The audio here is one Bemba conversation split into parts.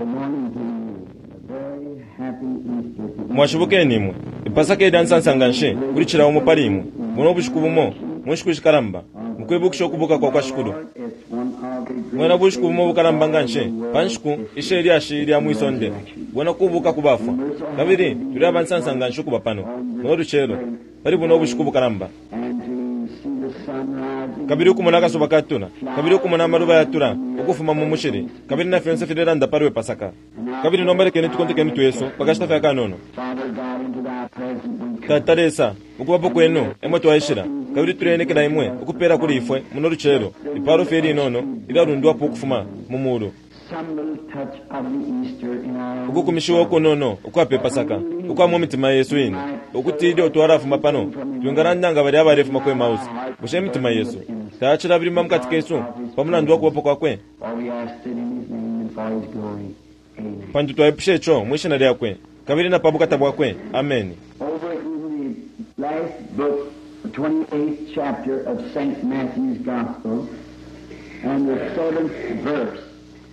Good morning to you. A very happy Easter to you. Mwashibukeni imwe. Ipasaka ilya nsansa nga nshi kuli cila umo pali imwe buno bushiku bumo mu nshiku ishikalamba mu kwibukisha ukubuka kwa kwa Shikulu. It's one of the great Bwena bushiku bumo bukalamba nga nshi pa nshiku ishe lyashi lya mwi sonde, bwena kubuka ku bafwa. Kabili tuli aba nsansa nga nshi ukuba pano muno lucelo pali buno bushiku bukalamba. and to see the sun rising. Kabili ukumona akasuba katula, kabili ukumona amaluba yatula ukufuma mu mushili, kabili na fyonse filelanda pali we Pasaka. Kabili nomba lekeni tukonteke imitwe yesu pa kashita fye akanono. Father God, into thy presence we come. Tata Lesa, mukubapo kwenu emo twaishila, kabili tuleenekela imwe ukupeela kuli ifwe muno lucelo ipalo fye ilinono ilyalundwapo ukufuma mu mulu. Some little touch of the Easter in our own Ukukumishiwa ukunono ukwa pe Pasaka ukwa mu mitima yesu ine, ukuti ilyo twalafuma pano twingalanda nga balya abalefuma ku Emausi. Bushe imitima yesu tayacilabilima mu kati kesu pa mulandu wa kubapo kwakwe? For we ask it in his name and for his glory. Amen. Pantu twaipusha ico mwi shina lyakwe kabili na pa bukata bwakwe. Ameni. Over in the last book, the 28th chapter of St. Matthew's Gospel, and the seventh verse.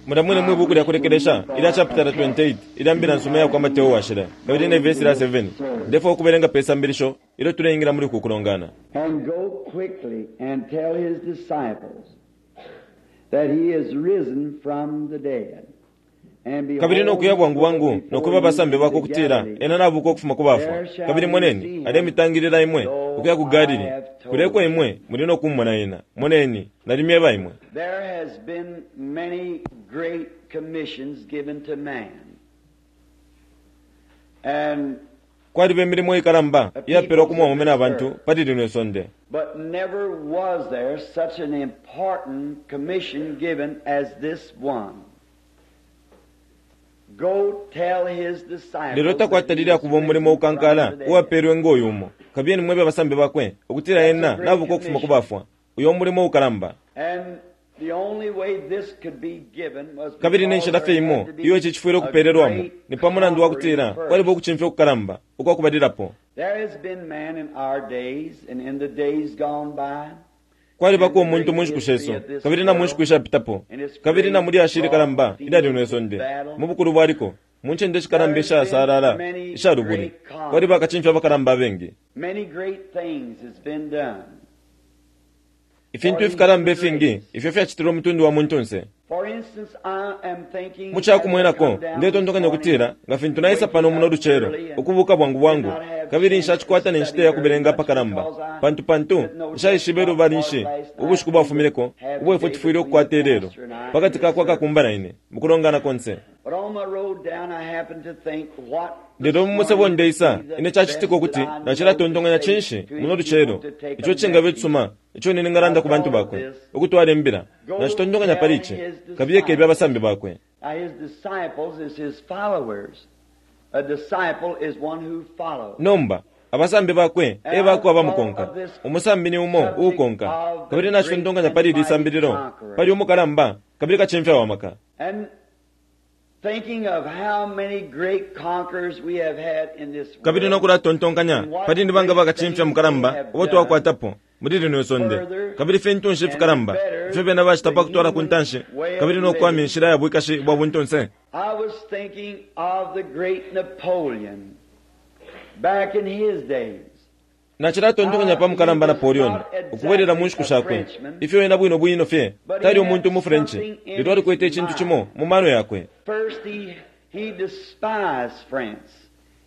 Mulya mwine mwi buku lya kulekelesha ilya chapitala 28 ilya Mbila nsuma iya kwa Mateo Washila, kabili ne vesi lya 7, ndefwaya ukubelenga pe sambilisho ilyo tuleingila muli uku kulongana. And go quickly and tell his disciples that he is risen from the dead. And behold, Kabili no kuya bwangu bwangu he no goeth kweba abasambi before bakwe you ukutila into Galilee. ena nabuuka ukufuma ku bafwa. Kabili moneni, alemitangilila imwe ukuya ku Galili. Kulya eko imwe muli no kumumona ena. Moneni, nalimyeba imwe. There has been many great commissions given to man. And Kwaliba imilimo ikalamba iyapelwa ku mwaume na bantu pali lino isonde. but never was there such an important commission given as this one. Go tell his disciples Lelo that he takwatalile is akuba umulimo risen ukankala from the dead. uwapelwe ngo uyu umo. Kabiyeni mwebe abasambi bakwe ukutila ena nabuka ukufuma ku bafwa. Uyo mulimo ukalamba. And the only way this could be given was Kabili ne because nshila fye there imo had to be iyo ici cifwile a ukupeelelwamo great ni pa mulandu wa kutila conquering kwaliba first. ukucimfya ukukalamba ukwa kubalilapo. There has been man in our days and in the days gone by. Kwalibako umuntu mu nshiku shesu, kabili na mu nshiku ishapitapo, kabili na mu lyashi ilikalamba ilya lino isonde, mu bukulu bwa liko, mu ncende ishikalamba ishasaalala isha lubuli, kwaliba bakacimfya abakalamba abengi. Many great things has been done. Ifintu ifikalamba ifingi ifyo fyacitilwe umutundu wa muntunse. For instance, I am thinking Mu ca kumwenako, ndetontonkanya ukutila nga fintu naisa pano muno lucelo, ukubuuka bwangu bwangu, kabili nshacikwata ne nshita ya kubelenga apakalamba, pantu pantu nshaishibe lubali nshi ubushiku bwafumineko ubo ifwe tufwile ukukwata ilelo, pa kati ka kwa kakumba na ine, mu kulongana konse. But on my road down, I happened to think what Lelo mu musebo ndeisa, ine cacitika ukuti nacilatontonkanya cinshi muno lucelo, ico cingaba icisuma ico ine ningalanda ku bantu bakwe, ukutwala imbila. Nacitontonkanya pali ici, kabiye kebe abasambi bakwe. Now his disciples is his followers. A disciple is one who follows. Nomba, abasambi bakwe e bakwe abamukonka. Umusambi ni umo uukonka. Kabili nacitontonkanya pali ili sambililo, pali umukalamba kabili kacimfya wa maka. And thinking of how many great conquerors we have had in this Kabili no world, kulatontonkanya pali ni banga bakacimfya mukalamba ubo twakwatapo muli lino isonde, kabili fintu nshi ifikalamba ifyo bena bacita pa kutwala ku ntanshi kabili no kuwamya inshila ya bwikashi bwa buntunse. I was thinking of the great Napoleon back in his days. Nacilatontonkanya pa mukalamba Napoleon ukubwelela mu nshiku shakwe, ifyo ena bwino bwino fye tali umuntu umu French, lelo alikwete icintu cimo mu mano yakwe. First, he, he despised France.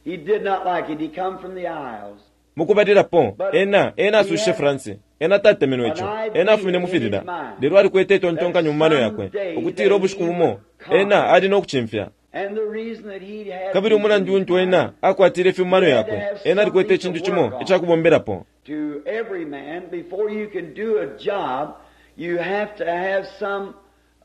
He did not like it. He come from the Isles. Mu kubalilapo, ena, ena asushishe France. Ena tatemenwe ico. Ena afumine mu filila. Lelo alikwete itontonkanyo mu mano yakwe, ukutila ubushiku bumo, ena ali no kucimfya. And the reason that he had Kabili umulandu untu ena akwatile ifi mu mano yakwe, ena alikwete icintu cimo ica kubombelapo. to every man, before you can do a job, you have to have some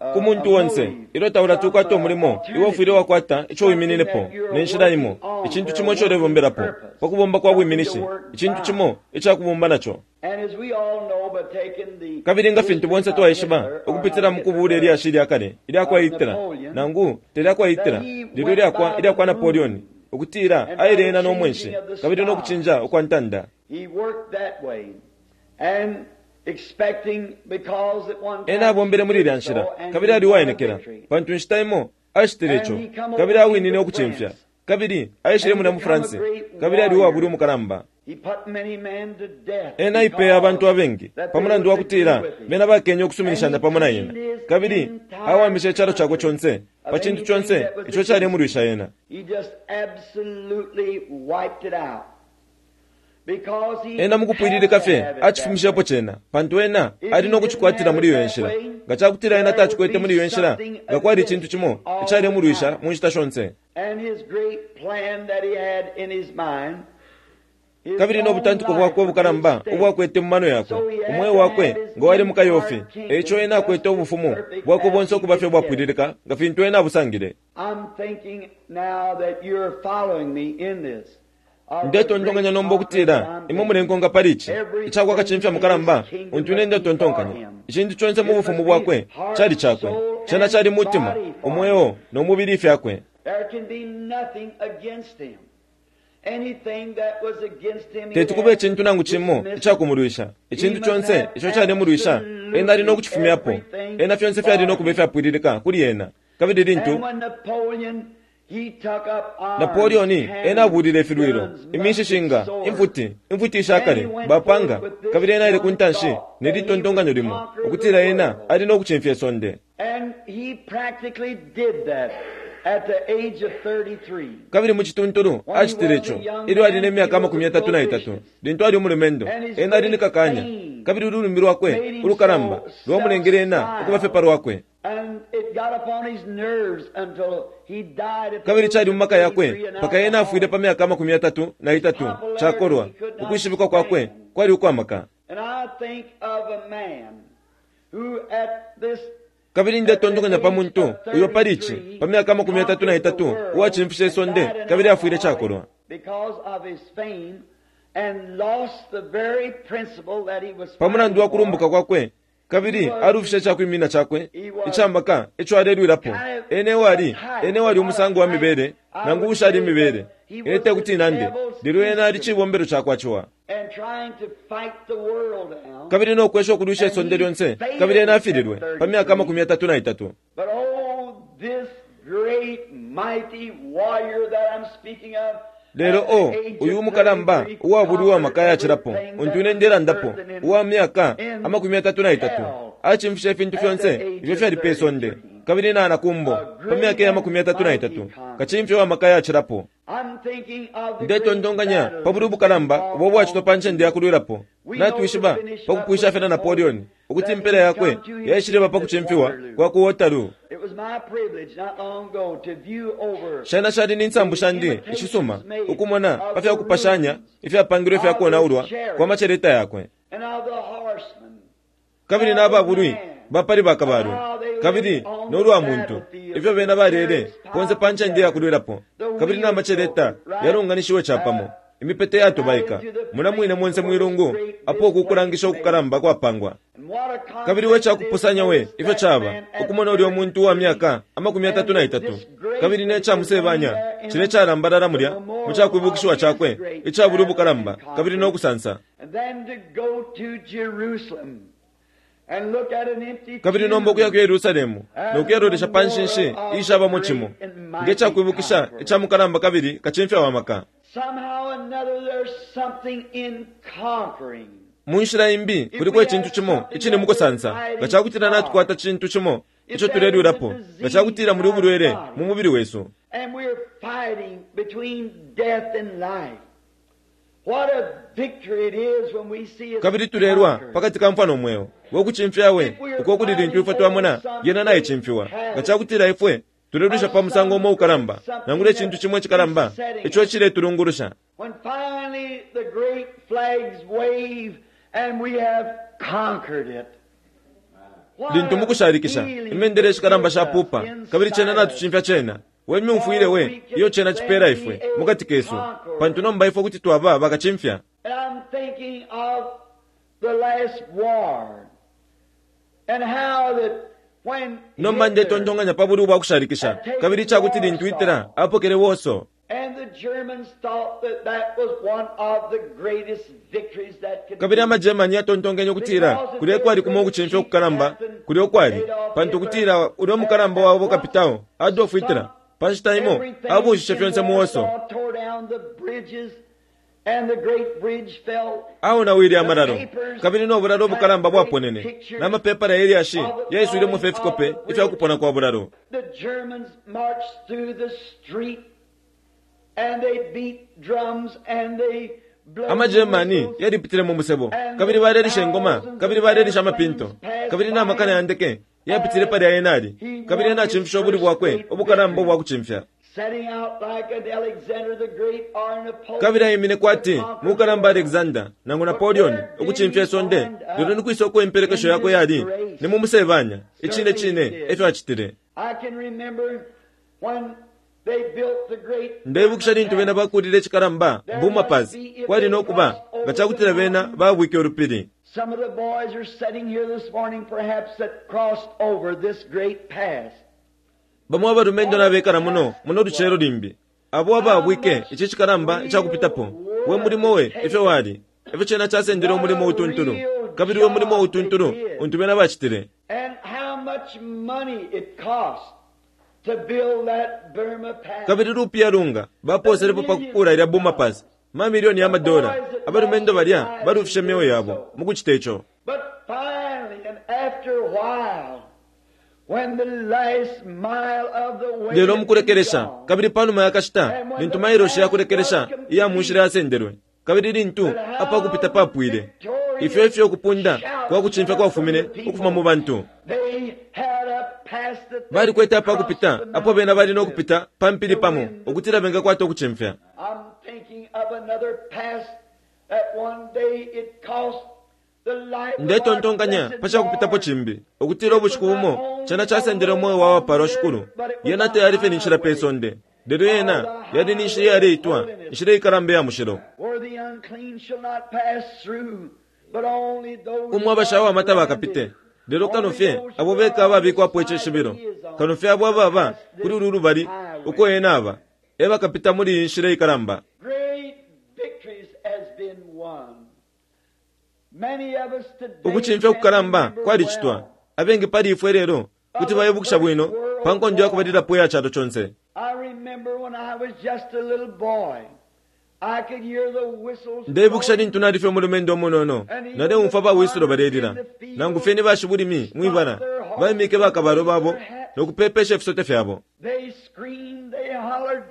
uh, Ku muntu a onse, motive, ilyo taulati ukwata some, umulimo, alternative, iwe ufwile wakwata ico wimininepo, something that you're ne nshila imo, working on icintu for cimo a ico ulebombelapo, purpose, pa kubomba kwa something bwiminishi, to work icintu by. cimo ica kubomba naco. And as we all know, by taking the Kabili nga fintu bonse history of twaishiba, Hitler, or ukupitila not mu kubuula Hitler, ilyashi lya kale ilya kwa Hitler, nangu te lya kwa Hitler, lelo ilyakwa ilya kwa Napoleon, ukutila aile ena no mwenshi, kabili no kucinja ukwa ntanda. He worked that way. And expecting because at one time Ena abombele muli ilya nshila, so, and kabili he ali won a uwaenekela, victory. pantu inshita imo Acitile ico, kabili awinine ukucimfya. Kabili aishile mulya mu France, kabili ali uwabulwi umukalamba. Ena aipeye abantu abengi pa mulandu wa kutila bena bakenye ukusuminishanya pamo na ena. Kabili awamishe icalo cakwe conse pa cintu conse ico calemulwisha ena. Ena mukupwililika fye acifumishepo cena, pantu ena ali no kucikwatila muli iyo nshila. Nga cakutila ena tacikwete muli iyo nshila, nga kwali icintu cimo icalemulwisha mu nshita shonse. Kabili no butantiko bwakwe ubukalamba ubwakwete mu mano yakwe, umweo wakwe nga wali mu kayofi, e ico ena akwete ubufumu bwakwe bonse ukuba fye ubwapwililika nga fintu ena abusangile. Ndetontonkanya nomba ukutila imwe mulenkonka pali ici icakwa kacimfya mukalamba untu ine ndetontonkanya. Icintu conse mu bufumu bwakwe cali cakwe. Cena cali mutima, umweo, no mubili ifyakwe. Teti kube icintu nangu cimo icakumulwisha. Icintu conse ico calemulwisha, ena ali no kucifumyapo. Ena fyonse fyali no kuba ifyapwililika kuli ena. Kabili lintu Napoleon ena abuulile ifilwilo, iminshishinga, imfuti, imfuti ishakale, bapanga, kabili ena aile ku ntanshi ne li tontonkanyo limo, ukutila ena ali no kucimfya isonde. Kabili mu cituntulu acitile ico ilyo ali ne myaka 33, lintu ali umulumendo. Ena ali ni kakanya, kabili ululimi lwakwe ulukalamba lwamulengele ena ukuba fye pa lwakwe. Kabili cali mu maka yakwe mpaka ena afwile pa myaka 33, cakolwa. Ukwishibikwa kwakwe kwali ukwa maka. Kabili ndetontonkanya pa muntu uyo pali ici, pa myaka 33, uwacimfishe isonde kabili afwile cakolwa. Pa mulandu wa kulumbuka kwakwe, kabili alufishe icakwiminina cakwe ica maka ico alelwilapo. Ena ewali, ena ewali umusango wa mibele, nangu uushali imibele. Ine tekuti nande, lelo ena ali cibombelo cakwa ciwa. Kabili no kwesha ukulwisha isonde lyonse, kabili ena afililwe, pa myaka 33. Lelo, o, uyu umukalamba uwabulwi uwa maka ayacilapo, untu ine ndelandapo, uwa myaka 33, acimfishe ifintu fyonse ifyo fyali pe sonde, kabili na ku mbo, pa myaka iya 33, kacimfya uwa maka ayacilapo. Ndetontonkanya pa bulwi ubukalamba ubo ubwacitwa pa ncende ya kulwilapo. Natwishiba, pa kupwisha fye na Napoleon, ukuti impela yakwe yaishileba pa kucimfiwa kwa ku Waterloo. Shena shali ni nsambu shandi ishisuma ukumona pa fya kupashanya ifyapangilwe ifya konaulwa kwa maceleta yakwe, kabili na babulwi ba pali bakabalwe, kabili no lwa muntu, ifyo bena balele ponse pa ncende ya kulwilapo, kabili na maceleta yalunganishiwe capamo, imipete yatobaika, mula mwine monse mwilungu apo uku kulangisha ukukalamba kwapangwa. Kabili we cakupusanya we ifyo caba ukumona ulyo muntu uwa myaka 33, kabili ne ca musebanya cile calambalala mulya mu cakwibukishiwa cakwe icabulwi ubukalamba kabili no kusansa. Kabili nomba ukuya ku Yerusalemu no kuyalolesha pa nshinshi iishabamo cimo nge cakwibukisha ica mukalamba kabili kacimfya wa maka. Mu nshila imbi, kuliko icintu cimo icili mu kusansa. Nga ca kutila natukwata cintu cimo ico tulelwilapo, nga ca kutila muli ubulwele mu mubili wesu, kabili tulelwa pakati ka mfwa no mweo, we kucimfya we uko kuli lintu ifwe twamona yena naicimfiwa. Nga ca kutila ifwe tulelwisha pa musango umo ukalamba, nangula icintu cimo icikalamba ico iciletulungulusha, lintu mukushalikisha imendele ishikalamba shapupa kabili cena natucimfya cena, we myumfwile we iyo cena cipela ifwe mukati kesu, pantu nomba ifwe kuti twaba bakacimfya. Nomba ndetontonkanya pa bulwi ubwa kushalikisha, kabili ica kuti lintu Hitler apokele Warsaw. Kabili amaGermany yatontonkenye ukutila kulya kwali kumo ukucimfya ukukalamba kulya ukwali, pantu ukutila ulya mukalamba wabo kapitao Adolf Hitler pa nshita imo abuushishe fyonse mu Warsaw. Aonawile amalalo, kabili no bulalo ubukalamba bwaponene, na mapepala ye lyashi yaiswilemo fye ifikope ifya kupona kwa bulalo. AmaGermany yalipitile mu musebo, kabili balelisha ingoma, kabili balelisha amapinto, kabili na makana ya ndeke yapitile palya ena ali, kabili ena acimfishe ubulwi bwakwe ubukalamba ubwa kucimfya. Kabili aimine kwati mukalamba Alexander nangu Napoleon ukucimfya isonde, lelo ni kwisa uko impelekesho yakwe yali? Ni mu musebanya. Icine cine e fyo acitile. Ndeibukisha lintu bena bakuulile icikalamba Burma Pass, kwali no kuba nga ca kutila bena baabwike ulupili. Some of the boys are sitting here this morning perhaps that crossed over this great pass. Bamo abalumendo nabekala muno muno lucelo limbi, abo abaabwike ici cikalamba ica kupitapo. We mulimo we ifyo wali, ifyo cena casendele umulimo utuntulu, kabili we mulimo utuntulu untu bena bacitile. And how much money it cost to build that Burma Pass. Kabili lupiya lunga bapooselepo pa kukuula ilya Burma Pass, mamilioni ya madola. Abalumendo balya balufishe myeo yabo mu kucita ico. But finally and after a while, when the last mile of the way Lelo mu kulekelesha, kabili pa numa ya kashita, lintu mailoshi ya kulekelesha iya mu nshila yasendelwe, kabili lintu apa kupita papwile, ifyo ifyo ukupunda kwa kucimfya kwafumine ukufuma mu bantu. They had a pass that they Balikwete apa kupita crossed the apo bena bali no mountain. kupita pa mpili pamo ukutila bengakwata ukucimfya. I'm thinking of another pass that one day it cost the life of our Ndetontonkanya blessed pa ca kupitapo Lord. cimbi, ukutila ubushiku bumo cena casendele umweo wa wapalwa Shikulu. Yena tayali fye ni nshila pe sonde, lelo yena yali ni nshila iyaleitwa inshila ikalamba iya mushilo, Where the unclean shall not pass through, but only those umo abashawama tabakapite. Lelo kano fye abo beka ababikwapo icishibilo, kano fye abo ababa kuli ulu lubali uko ena aba, e bakapita muli iyi nshila ikalamba. Great victories has been won. Many of us today Ukucimfya kukalamba can remember kwalicitwa. well. Abengi pali ifwe lelo kuti baibukisha bwino pa nkondo ya kubalilapo iya calo conse. I remember when I was just a little boy, I could hear the whistles Ndeibukisha lintu nali fye umulumendo umunono, naleumfwa bawisulo balelila, nangu fye ni bashibulimi mwibala, baimike bakabalo babo no kupepesha ifisote fyabo. They screamed, they hollered.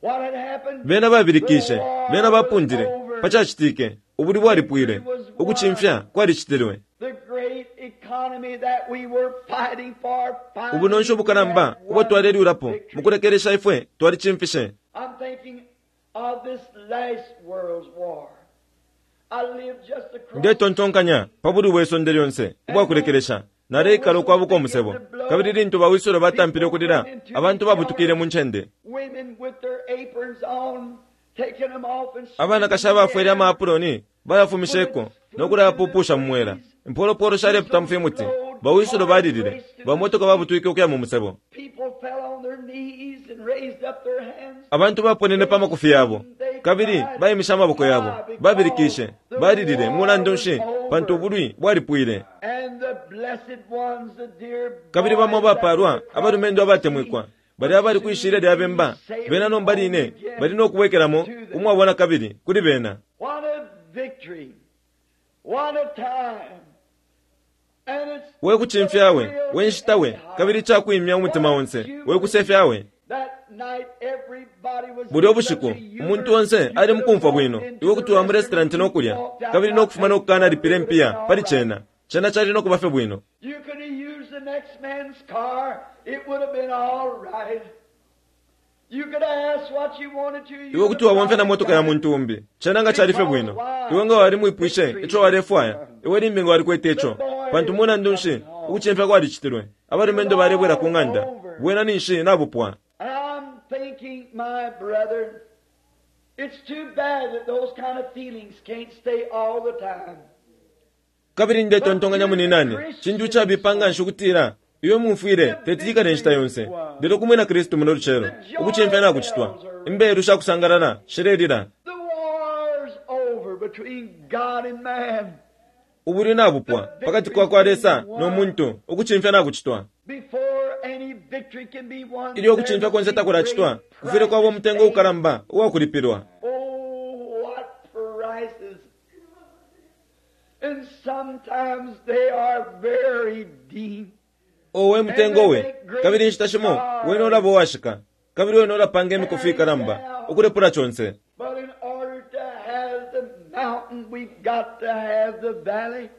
What had happened? Bena babilikishe, bena bapundile, pa cacitike, ubulwi bwalipwile, ukucimfya kwalicitilwe. The great economy that we were fighting for. finally Ubunonshi ubukalamba had ubo twalelwilapo, won victory. mu kulekelesha ifwe twalicimfishe. I'm thinking of this last world's war. I lived just across Ndetontonkanya pa bulwi bwe sonde lyonse ubwa kulekelesha. Naleikala ukwabuka umusebo, kabili lintu bawisulo batampile ukulila, abantu babutukile mu ncende. women with their aprons on, taking them off and Abanakashi abafwele amaapuloni bayafumisheko no kulayapupusha mu mwela. Impolopolo shalepita mu fimuti. Bawisulo balilile, bamotoka babutwike ukuya mu musebo. People fell on their knees and raised up their hands. Abantu baponene pa makufi yabo, kabili baimishe amaboko yabo, babilikishe, balilile mulandu nshi, pantu ubulwi bwalipwile. And the blessed ones, the dear Kabili bamo boys that abapalwa, were abalumendo abatemwikwa, bali abali kwishilya lya bemba, bena nomba line bali no kubwekelamo umwabona kabili kuli bena. What a victory. What a time. And it's We kucimfya we, we nshita we, kabili icakwimya umutima onse, we kusefya we. That night everybody was Bulya ubushiku, umuntu onse ali mukumfwa bwino, iwe kuti wa mu restaurant no kulya, kabili no kufuma no kukanalipila impiya pali cena. Cena cali no kuba fye bwino. You could have used the next man's car. It would have been all right. You could have asked what you wanted to. You Iwe kuti wabomfya na motoka ya muntu umbi, cena nga cali fye bwino. Iwe nga walimwipwishe ico walefwaya, iwe limbi nga walikwete ico. Pantu mulandu nshi, ukucimfya kwalicitilwe. Abalumendo balebwela ku ng'anda, bwena ninshi nabupwa. And I'm thinking, my brother, it's too bad that those kind of feelings can't stay all the time. Kabili ndetontonkanya muninane, cintu icabipa nga nshi ukutila Iyo mumfwile teti ikale inshita yonse. Lelo ku mwina Kristu muno lucelo, ukucimfya nakucitwa. Imbelu sha kusangalala shilelila. The war's over between God and man. Ubulwi nabupwa pakati kwa kwa Lesa no muntu, ukucimfya nakucitwa. Before any victory can be won, Ilyo ukucimfya konse takulacitwa, kufwile kwaba umutengo ukalamba uwakulipilwa. Oh, what prices! And sometimes they are very deep. Owe mutengo we, kabili inshita shimo wene ulaba uwashika, kabili wene ulapanga imikufi ikalamba ukulepula conse. But in order to have the mountain, we've got to have the valley.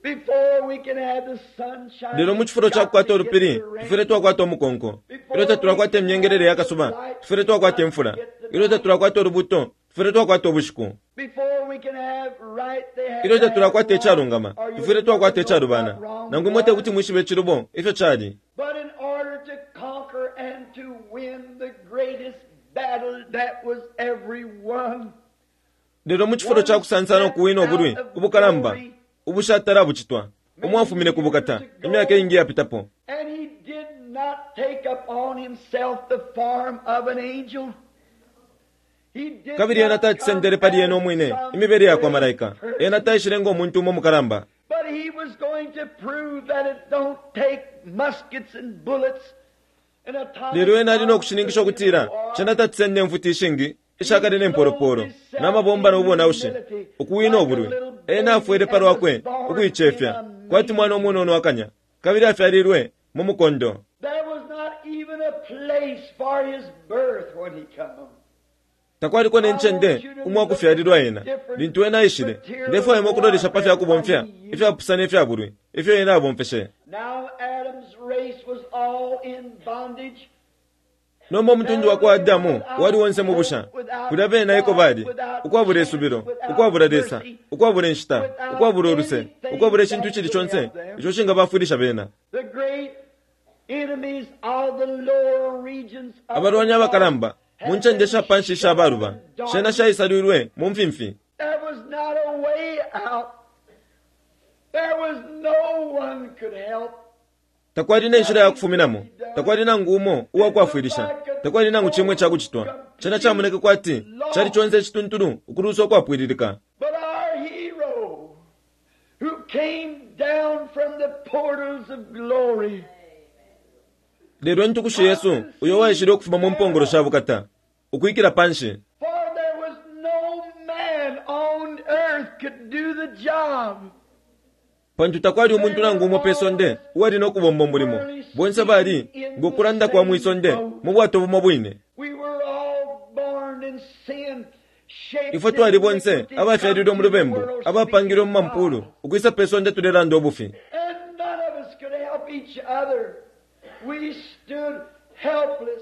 Before we can have the sunshine, Lelo mu cifulo ca kukwata ulupili, tufwile twakwata umukonko. Ilyo tatulakwata imyengelele ya kasuba, tufwile twakwata imfula. Ilyo tatulakwata ulubuto, tufwile twakwata ubushiku. Before we can have right, they have Ilyo to have tatulakwata icalungama, wrong, or you tufwile twakwata know icalubana. what wrong Nangu imwe te was. kuti mwishibe icilubo ifyo cali. But in order to conquer and to win the greatest battle that was ever won, Lelo mu cifulo ca kusansana ukuwina ubulwi ubukalamba ubushatala bucitwa, umwafumine ku bukata imyaka iingi iyapitapo. and he did not take upon himself the form of an angel. He did Kabili ena not tacisendele come pali ena as umwine some imibele ya kwa great malaika. person. Ena taishile ngo muntu umo mukalamba. But he was going to prove that it don't take muskets and bullets and atomic Lelo ena ali no bombs kushininkisha to win ukutila a war. cena tacisenda imfuti ishingi ishakale ne mpolopolo n'amabomba n'ubonaushi ukuwina ubulwi. Ena afwele pa lwakwe ukuicefya kwati mwana umunono akanya, kabili afyalilwe mu mukondo. There was not even a place for his birth when he come. Takwaliko ne ncende umwakufyalilwa ena lintu ena aishile. Ndefwaya imwe ukulolesha pa fya kubomfya ifyapusana ifya bulwi ifyo ena abomfeshe. Now Adam's race was all in bondage. Nomba umutundu wa kwa Adamu wali wonse mu busha. Kulya bena eko bali, ukwabula isubilo, ukwabula Lesa, ukwabula inshita, ukwabula uluse, ukwabula icintu icili conse ico cingabafwilisha bena. The great enemies of the lower regions of Abalwani the abakalamba mu ncende sha panshi isha baluba, dark. shena shaisalwilwe mu mfimfi. There was not a way out. There was no one could help. Takwali ne nshila ya kufuminamo, takwali nangu umo uwakwafwilisha, takwali nangu cimwe icakucitwa. Cena camoneke kwati cali conse icituntulu ukulusa ukwapwililika. But our hero, who came down from the portals of glory, Lelo intukushi Yesu uyo waishile ukufuma mu mpongolo sha bukata, ukwikila panshi. for there was no man on earth could do the job. Pantu takwali umuntu nangu umo pe sonde uwali no kubomba umulimo. Bonse bali ngo kulanda kwa mwisonde mu bwato bumo bwine. We were all born in sin, shaped Ifwe twali in bonse iniquity, abafyalilwe mu come to the lubembu, world abapangilwe mu speaking mampulu, God. ukwisa pe sonde tulelanda ubufi. And none of us could help each other. We stood helpless.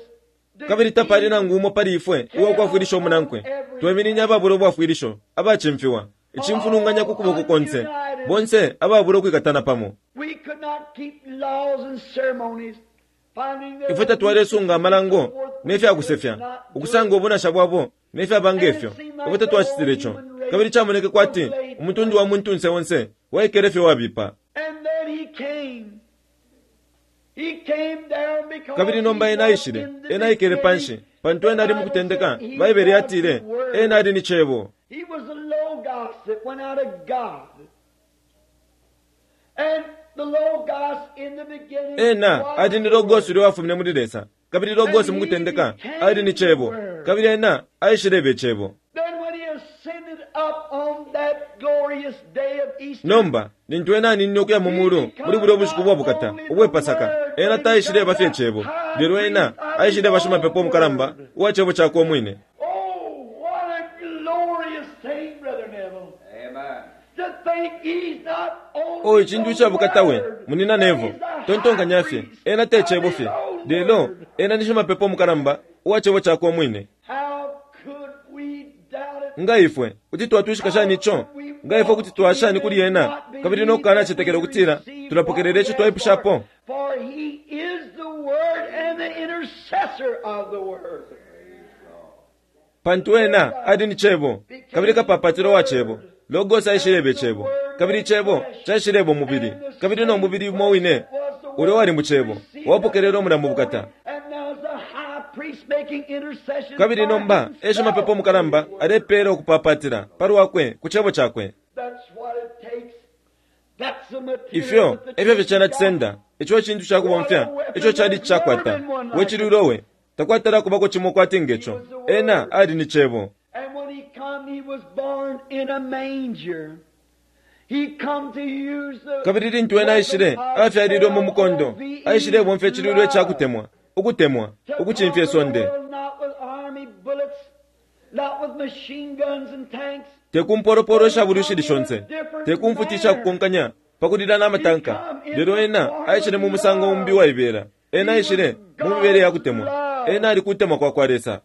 Kabili tapali nangu umo pali ifwe uwakwafwilisha umunankwe. Tweminine ababula ubwafwilisho, abacimfiwa, icimfulunganya ku kuboko konse, bonse ababula ukwikatana pamo. We could not keep laws and ceremonies. Finding their Ifwe tatwalesunga amalango ne fya kusefya, ukusanga ubunasha bwabo ne fyaba ngefyo. Ifwe tatwacitile ico. Kabili camoneke kwati umutundu wa muntunse onse waikele fye wabipa. And then he came. He came down because Kabili nomba he ena was aishile, in the ena aikele panshi, beginning. pantu ena ali mu kutendeka. Baibele yatile, ena ali ni Cebo. He was the Logos that went out of God. And the Logos in the beginning Ena was ali ni the Logos Word. ulya wafumine muli Lesa. Kabili Logos mu kutendeka ali ni Cebo. Kabili ena aishileba Icebo. Then when he ascended up on that glorious day of Easter, Nomba, lintu ena aninine ukuya mu mulu muli bulya ubushiku bwa bukata ubwe Pasaka, ena taishileba fye Cebo, lelo ena aishileba shimapepo umukalamba uwa Cebo cakwe umwine. Oh, what a glorious thing, Brother Neville. Amen. To think he's not only O icintu the ica bukata we, Word, munina but Nevo, he's the high tontonkanya fye, priest ena te of Cebo his fye, own lelo Word. ena ni shimapepo umukalamba uwa Cebo cakwe umwine. How could we doubt it? Nga ifwe kuti twatwishika shani ico? Nga ifwe kuti twashani kuli ena, kabili no kukanacetekela ukutila tulapokelela ico twaipushapo? For he is the Word and the intercessor of the Word. Pantu ena ali ni Cebo, kabili kapapatilo wa Cebo. Logos aishileba Icebo, kabili Icebo caishileba umubili, kabili no mubili umo wine Was the ulya uwali mu Cebo, wapokelele umulambu bukata. Kabili nomba e shimapepo mukalamba alepeela ukupapatila pa lwakwe ku Cebo cakwe. Ifyo e fyo fye cena cisenda. Ico e cintu ca kubomfya ico cali cakwata. We cilwilo we! Takwatala akubako cimo kwati nge co. Ena ali ni Cebo. Kabili lintu Ena aishile, afyalilwe mu mukondo, aishilebomfya icilwilo ica kutemwa, ukutemwa, ukucimfya isonde. Te ku mpolopolo isha bulwi ishili shonse, te ku mfuti isha kukonkanya pa kulila na matanka, lelo Ena aishile mu musango umbi uwaibela. Ena aishile mu mibele ya kutemwa. Ena ali kutemwa kwa kwa Lesa.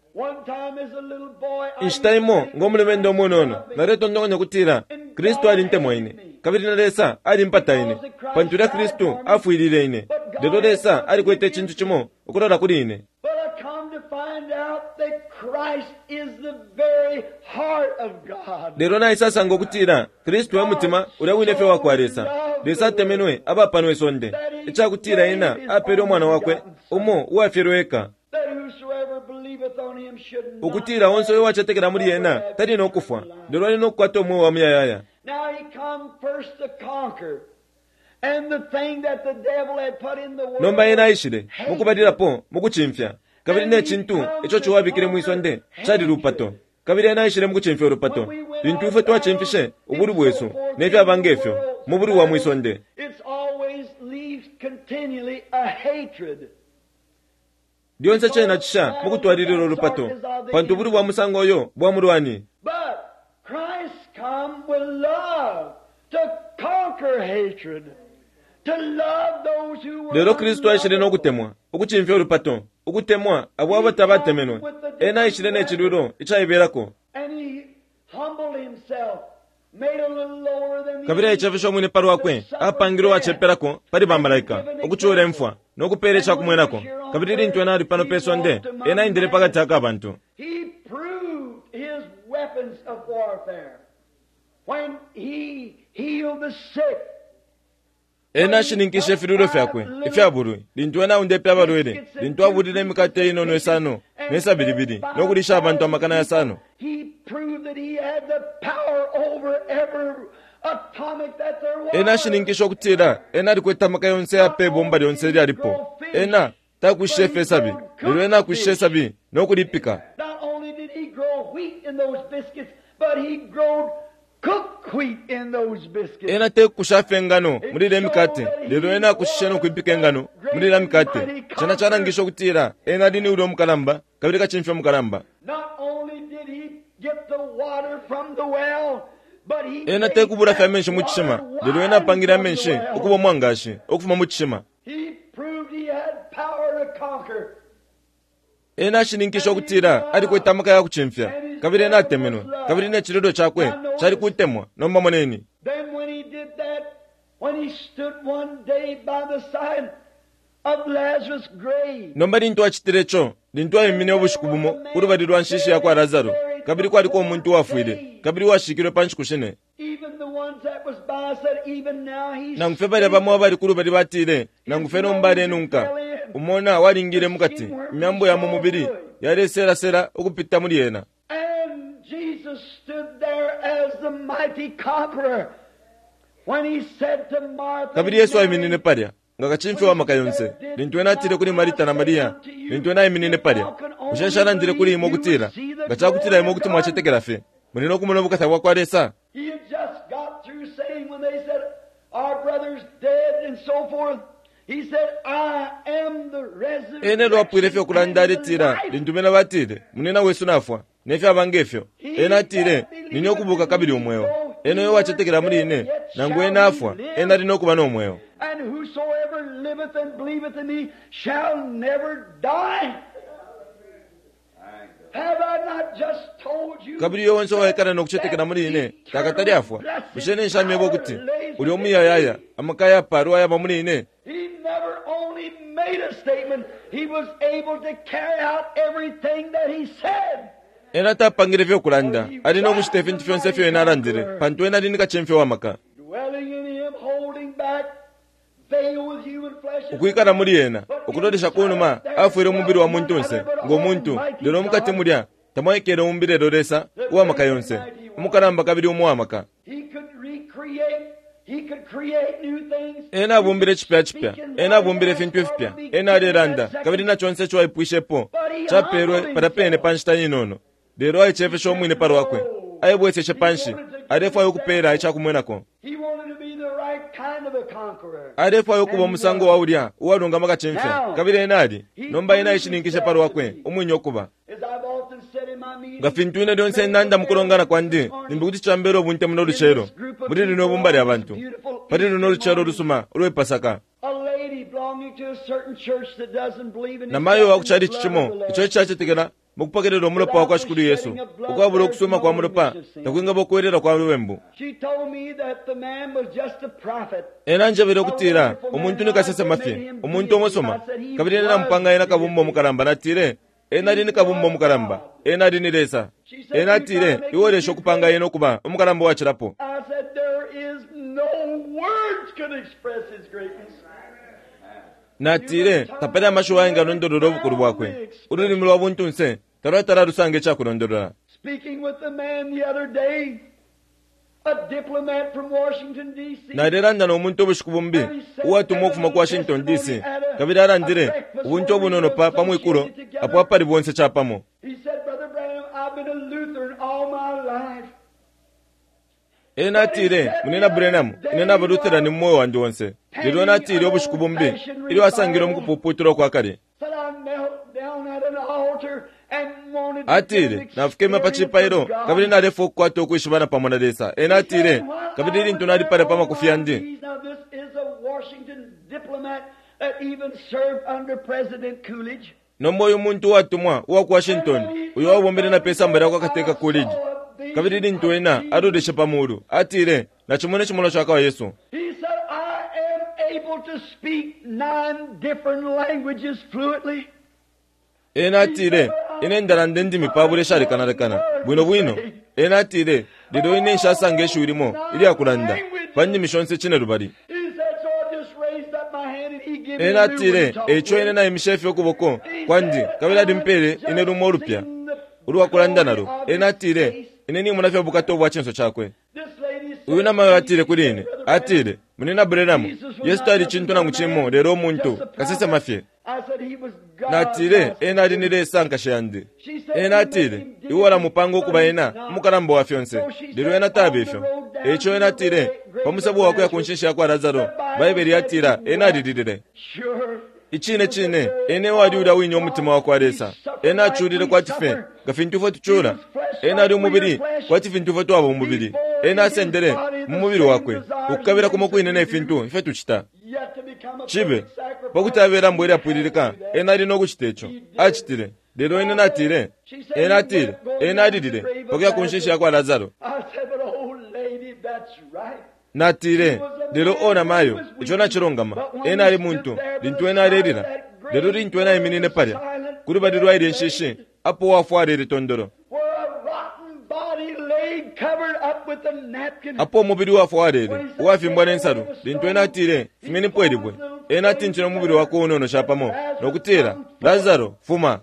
Inshita imo, ngo mulumendo umunono, naletontonkanya ukutila Kristu alintemwa ine, kabili na Lesa alimpata ine, pantu ulya Kristu afwilile ine. Lelo Lesa alikwete icintu cimo ukulola kuli ine. Lelo naisasanga ukutila Kristu e mutima ulya wine fye wakwa Lesa. Lesa atemenwe aba pano isonde, ica kutila Ena apele Umwana Wakwe umo uwafyelwe eka, ukutila onse uyo uwacetekela muli Ena tali no kufwa, lelo ali no kukwata umweo wa muyayaya. Nomba Ena aishile, mukubalilapo, mukucimfya. Kabili ne cintu ico ciwa abikile mwi sonde cali lupato. Kabili ena aishile mukucimfya ulupato, lintu ifwe twacimfishe ubulwi bwesu, ne fyaba nge fyo, mu bulwi bwa mwi sonde. Lyonse cena cisha mukutwalilila ulupato, pantu ubulwi bwa musango uyo bwa mulwani. Lelo Kristu aishile no kutemwa, ukucimfya ulupato, ukutemwa abo abo tabatemenwe. Ena aishile ne cilwilo icaibelako. Kabili aicefeshe umwine pa lwakwe, apangilwe uwacepelako pali bamalaika, ukucula imfwa, no kupeela ica kumwenako. Kabili lintu ena ali pano pe sonde, ena aendele pa kati aka bantu. Ena ashininkishe ifilwilo fyakwe ifya bulwi lintu ena aundepe abalwele, lintu abulile imikate inono isano ne sabi libili no kulisha abantu amakana yasano. Ena ashininkishe ukutila ena alikwete amaka yonse aya pe bomba lyonse ilyalipo. Ena takwishishe fye isabi, lelo ena akwishishe isabi no kulipika. Ena tekusha fye ingano muli ilya mikate, lelo ena akushishe no kwipika ingano muli ilya mikate. Cena calangishe ukutila ena ali ni ulya umukalamba kabili kacimfya umukalamba. Ena tekubula fye amenshi mu cishima, lelo ena apangile amenshi ukuba umwangashi ukufuma mu cishima. Ena ashininkishe ukutila alikwete amaka ya kucimfya, kabili ena atemenwe, kabili ne cililo cakwe cali kutemwa. Nomba moneni. Nomba lintu acitile co, lintu aimine ubushiku bumo ku lubali lwa nshishi ya kwa Lasaro, kabili kwaliko umuntu uwafwile, kabili uwashikilwe pa nshiku shine. Nangu fye balya bamo abali ku lubali batile, Nangu fye nomba alenunka. Umona walingile mu kati, imyambo ya mu mubili yaleselasela ukupita muli ena. Kabili Yesu aiminine palya, nga kacimfya wa maka yonse, lintu ena atile kuli Marita na Maria, lintu ena aiminine palya, Bushe nshalandile kuli imwe ukutila, nga ca kutila imwe kuti mwacetekela fye, muli no kumona ubukata bwa kwa Lesa? Ena elyo apwile fye ukulanda aletila, lintu bena batile, Munina wesu nafwa, ne fyaba nge fyo. Ena atile, Nine ukubuka kabili umweo. Ena uyo uwacetekela muli ine, nangu ena afwa, ena ali no kuba no mweo. Kabili uyo onse uwaikala no kucetekela muli ine takatale afwa. Bushe ine nshamyeba ukuti ulya umuyayaya, amaka ayapaalwa ayaba muli ine? Ena tapangile fye ukulanda, ali no kucita ifintu fyonse ifyo ena alandile, pantu ena ali ni kacimfya wa maka. Ukwikala muli ena, ukulolesha kunuma, afwele umubili wa muntunse, ngo muntu, lelo mukati mulya tamwaikele umbi lelo Lesa uwa maka yonse, umukalamba kabili umo wa maka. Ena abumbile cipya cipya, ena abumbile ifintu ifipya, ena alelanda, kabili na conse ico aipwishepo capelwe palya pene pa nshita inono. Lelo aicefeshe umwine pa lwakwe, aibweseshe panshi, alefwaya ukupeela ica kumwenako. Alefwaya ukuba umusango wa ulya uwalungama kacimfya, kabili ena ali. Nomba ena aishininkishe pa lwakwe umwine ukuba. Nga fintu ine lyonse nanda mu kulongana kwandi, limbi kuti cambela ubunte muno lucelo, muli lino ibumba lya bantu, pali luno lucelo lusuma ulwe Pasaka. Namayo wa ku chalichi cimo ico icacetekela mu kupokelela umulopa wa kwa Shikulu Yesu, ukwabula ukusuma kwa mulopa takwingaba ukwelela kwa lubembu. Ena anjebele ukutila umuntu ni kasesema fye, umuntu umusuma, kabili ena namupanga ena kabumba umukalamba. Natile, Ena ali ni kabumba umukalamba. Ena ali ni Lesa. Ena atile, Iwe ulesha ukupanga ena ukuba umukalamba uwacilapo. Natile, Tapali amashiwi ayengalondolola ubukulu bwakwe. Ululimi lwa buntunse talwatala alusanga icakulondolola. Nalelanda no muntu ubushiku bumbi, uwatumwa ukufuma ku Washington, D.C., kabili alandile ubunte ubunono pa, pa mwikulo apo apali bonse capamo. Ena atile, Munyina Branham, ine naba Lutheran mu mweo wandi onse. Lelo ena atile ubushiku bumbi, ilyo asangilwe mu kupuputulwa kwa kale, Atile, Nafukeme pa cipailo, kabili nalefwaya ukukwata ukwishibana pamo na Lesa. Ena atile, Kabili lintu nali palya pa makufi yandi, Nomba uyu muntu uwatumwa uwa ku Washington, uyo wabombele na pe samba lya kwa Kateka Coolidge, kabili lintu ena aloleshe pa mulu, atile, Nacimona icimonwa cakwa Yesu. Ena atile, Ine ndalanda indimi pabula ishalekanalekana, bwino bwino. Ena atile, Lelo ine nshasanga ishiwi limo ilyakulanda pa ndimi shonse cinelubali. Ena atile, Eico ine naimishe fye ukuboko kwandi, kabili alimpele ine lumo ulupya ulwakulanda nalo. Ena atile, Ine nimona fye ubukata ubwa cinso cakwe. Uyu namayo atile kuli ine, atile, Munyina Branham, Yesu tali cintu nangu cimo lelo umuntu, kasesema fye. Natile, Ena ali ni Lesa, nkashi yandi. Ena atile, Iwe walamupanga ukuba Ena umukalamba wa fyonse, lelo Ena taba ifyo. Eico ena atile, Pa musebo wakuya ku nshinshi yakwa Lazaro, Baibele yatila ena alililile. Icine cine, ena ewali ulya wine umutima wakwa Lesa. Ena aculile kwati fye nga fintu ifwe tucula. Ena ali umubili kwati fintu ifwe twaba umubili. Ena asendele, mu mubili wakwe, ukukabila kumo kwine ne fintu ifyo tucita. Cibe, pa kuti abe ilambo ilyapwililika, ena ali no kucita ico. Acitile. Lelo ine natile, ena atile, ena alilile, pa kuya ku nshinshi yakwa Lazaro. Natile, Lelo, o namayo, ico nacilungama. Ena ali muntu, lintu ena alelila. Lelo lintu ena aiminine palya, kulubali lwa ilye nshishi, apo uwafwa alele tondolo, apo umubili uwafwa walele, uwafimbwa ne nsalu, lintu ena atile, Fumyenipo ilibwe, ena atintile umubili wakwe unono capamo, no kutila, Lazaro, fuma!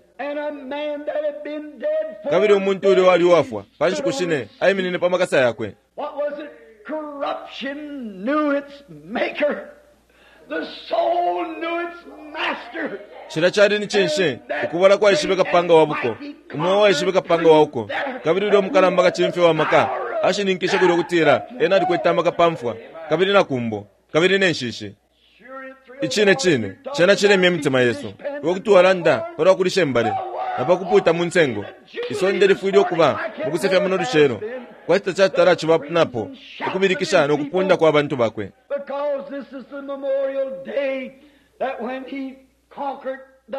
Kabili umuntu ulya uwali uwafwa pa nshiku shine aiminine pa makasa yakwe. What was it? Corruption knew its maker. The soul knew its master. Cilya cali ni cinshi? Ukubola kwaishibe kapanga wa buko. Umweo waishibe kapanga wa uko. Kabili ulya umukalamba kacimfya wa maka ashininkishe kulya ukutila ena alikwete amaka pa mfwa, kabili na kumbo, kabili ne nshishi. Icine cine, cena cilemya imitima yesu. Iwe kuti walanda palwa kulisha imbale na pa kupuuta mu nsengo. Isonde lifwile ukuba mu kusefya muno lucelo, kwati tacatala aciba napo, ukubilikisha no kupunda kwa bantu bakwe.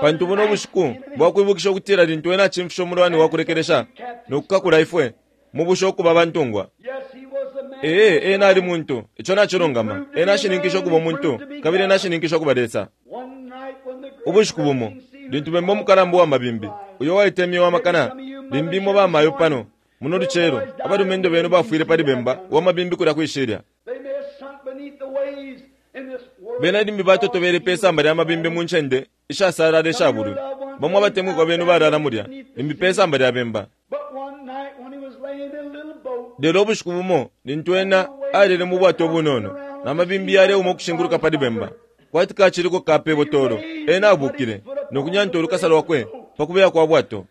Pantu buno bushiku bwa kwibukisha ukutila lintu Ena acimfishe umulwani wa kulekelesha no kukakula ifwe mu busha ukuba abantungwa. Ee, ena ali muntu. Ico nacilungama. Ena ashininkishe ukuba umuntu, kabili ena ashininkishe ukuba Lesa. Ubushiku bumo, lintu bemba umukalamba uwa mabimbi, uyo waitemye wa makana, limbi imwe bamayo pano, muno lucelo, abalumendo benu bafwile pali bemba wa mabimbi kulya kwi shilya. Bena limbi batotobele pe samba lya mabimbi mu ncende ishasalala isha bulwi. Bamo abatemwikwa benu balala mulya, limbi pe samba lya bemba. Lelo ubushiku bumo lintu ena alele mu bwato bunono, na mabimbi yaleuma ukushinguluka pali bemba, kwati kaciliko ka pe botolo, ena abukile no kunyanta ulukasa lwakwe pa kubeya kwa bwato.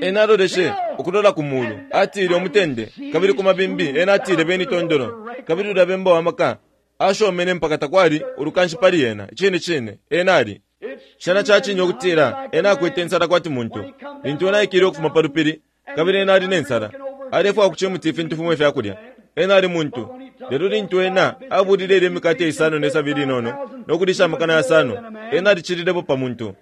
Ena aloleshe ukulola ku muulu, atile umutende, kabili ku mabimbi ena atile beni tondolo, kabili ulya bemba wa maka ashomene mpaka takwali ulukanshi pali ena. Icine cine, ena ali. Cena ca cine ukutila ena akwete insala kwati muntu. Lintu ena aikile ukufuma pa lupili, kabili ena ali ne nsala, alefwaya ku cimuti ifintu fimo ifya kulya. Ena ali muntu. Lelo lintu ena abulile ilye mikate isano ne sabi linono no kulisha amakana yasano, ena alicililepo pa muntu.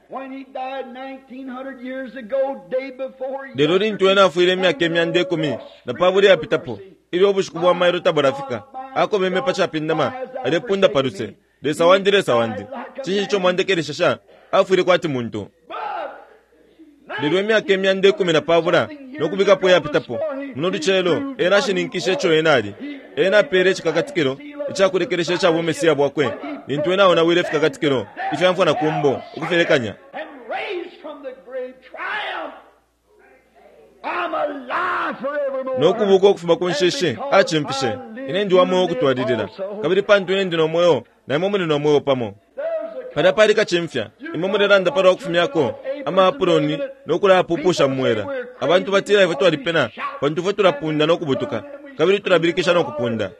Lelo lintu ena afwile imyaka 120 iyapitapo, ilyo ubushiku bwa mailo tabulafika, akobeme pa capindama, alepunda pa luse, Lesa wandi, Lesa wandi, cinshi ico mwandekeleshesha? Afwile kwati muntu. Lelo imyaka 120 no kubikapo iyapitapo, muno lucelo, ena ashininkishe ico ena ali. Ena apele icikakatikilo icakulekelesha ica buMesia bwakwe lintu ena aonawile ifikakatikilo ifya mfwa na kumbo, ukufilekanya. No kubuka ukufuma ku nshishi, acimfishe. Ine ndi wa mweo ukutwalilila, kabili pantu ine ndi no mweo, na imwe muli no mweo pamo. Palya pali kacimfya. Imwe mulelanda palwa kufumyako amaapuloni no kulayapupusha mu mwela. Abantu batila ifwe twalipena pantu ifwe tulapunda no kubutuka, kabili tulabilikisha no kupunda.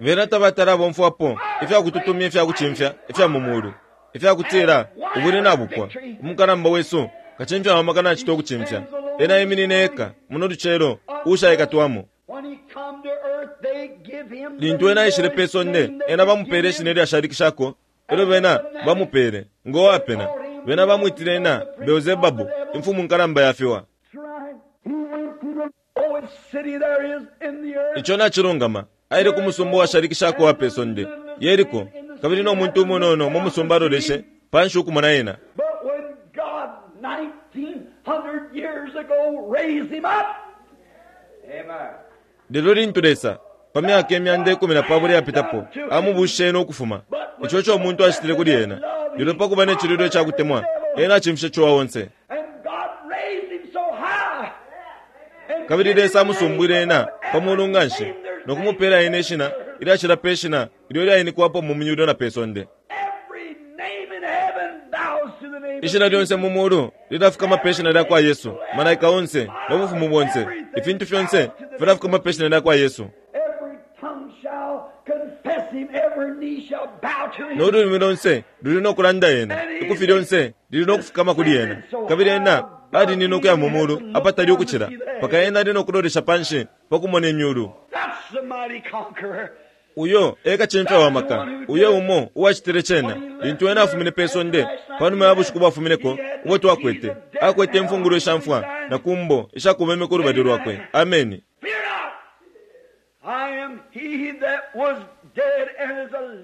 Bena tabatala abomfwapo ifya kututumya ifya kucimfya ifya mu muulu, ifya kutila ubulwi nabupwa. Umukalamba wesu, kacimfya wa maka nacita ukucimfya. Ena eminine eka, muno lucelo, uushaikatwamo. Lintu ena aishile pe sonde, ena bamupele ishina ilyashalikishako elyo bena bamupele, ngo wapena. Bena bamwitile ena Beelzebabu, imfumu nkalamba ya fiwa. Ico nacilungama. Aile ku musumba uwashalikishako uwa pe sonde, Yeriko, kabili no muntu umunono mu musumba aloleshe panshi ukumona ena. Lelo lintu Lesa, pa myaka 210 iyapitapo, amubushishe ena ukufuma, ico ico umuntu acitile kuli ena, lelo pa kuba ne cililo ica kutemwa, ena acimfishe ciwa onse. Kabili Lesa amusumbwile ena pa mulu nganshi, no kumupela ena ishina ilyacila pe shina ilyo ilyainikwapo mu myulu na pe sonde. Ishina lyonse mu mulu lilafukama pe shina lya kwa Yesu, malaika onse no bufumu bonse, ifintu fyonse filafukama pe shina lya kwa Yesu. No lulimi lonse luli no kulanda ena, ikufi lyonse lili no kufukama kuli ena. Kabili ena alinina ukuya mu mulu apatali ukucila, mpaka ena ali no kulolesha panshi pa kumona imyulu. Uyo e kacimfya wa maka, uyo umo uwacitile cena lintu ena afumine pe sonde panuma ya bushiku bwafumineko ubo twakwete. Akwete imfungulo isha mfwa na kumbo isha kubeme ku lubali lwakwe. Ameni.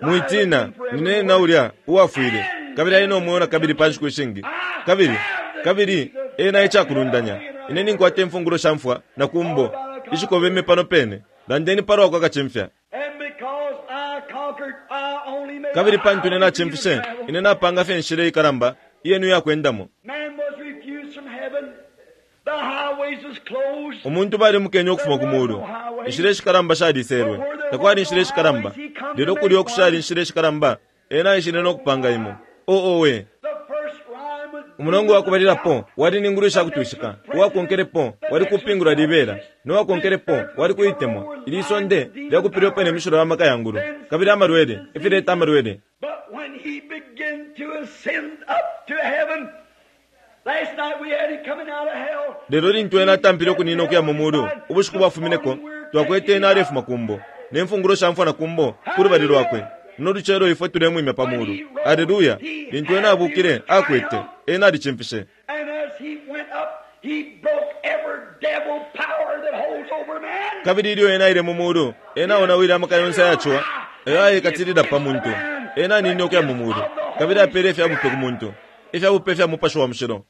Mwitina, nine ena ulya uwafwile kabili ali no mweo na kabili pa nshiku ishingi. Kabili, kabili ena e cakulundanya. Ine ninkwata imfungulo sha mfwa na kumbo ishikobeme pano pene. Landeni palwa kwa kacimfya. Kabili pantu ine nacimfishe, ine napanga fye inshila ikalamba iyenu iya kwendamo. Umuntu balimukenye ukufuma ku mulu. Inshila ishikalamba shaliselwe. Takwali inshila ishikalamba. Lelo kulya ukushali inshila ishikalamba, ena aishile no kupanga imo. Oh, owe! Umulongo wa kubalilapo wali ni ngulu isha kutwishika, uwakonkelepo wali kupingula libela, no wakonkelepo wali kuitemwa. Ili isonde lyakupilwepo ne mishilo ya maka ya ngulu, kabili amalwele, ifileta amalwele. Lelo lintu ena atampile ukunina ukuya mu mulu, ubushiku bwafumineko, twakwete ena alefuma ku mbo, ne mfungulo sha mfwa na ku mbo ku lubali lwakwe. Muno lucelo ifwe tulemwimya pa mulu. Aleluya! Lintu ena abukile, akwete. Ena alicimfishe. Kabili ilyo ena aile mu mulu, ena aonawile amaka yonse aya ciwa ayo ayekatilila pa muntu. Ena aninine ukuya mu mulu, kabili apele ifya bupe ku muntu, ifya bupe fya Mupashi wa Mushilo.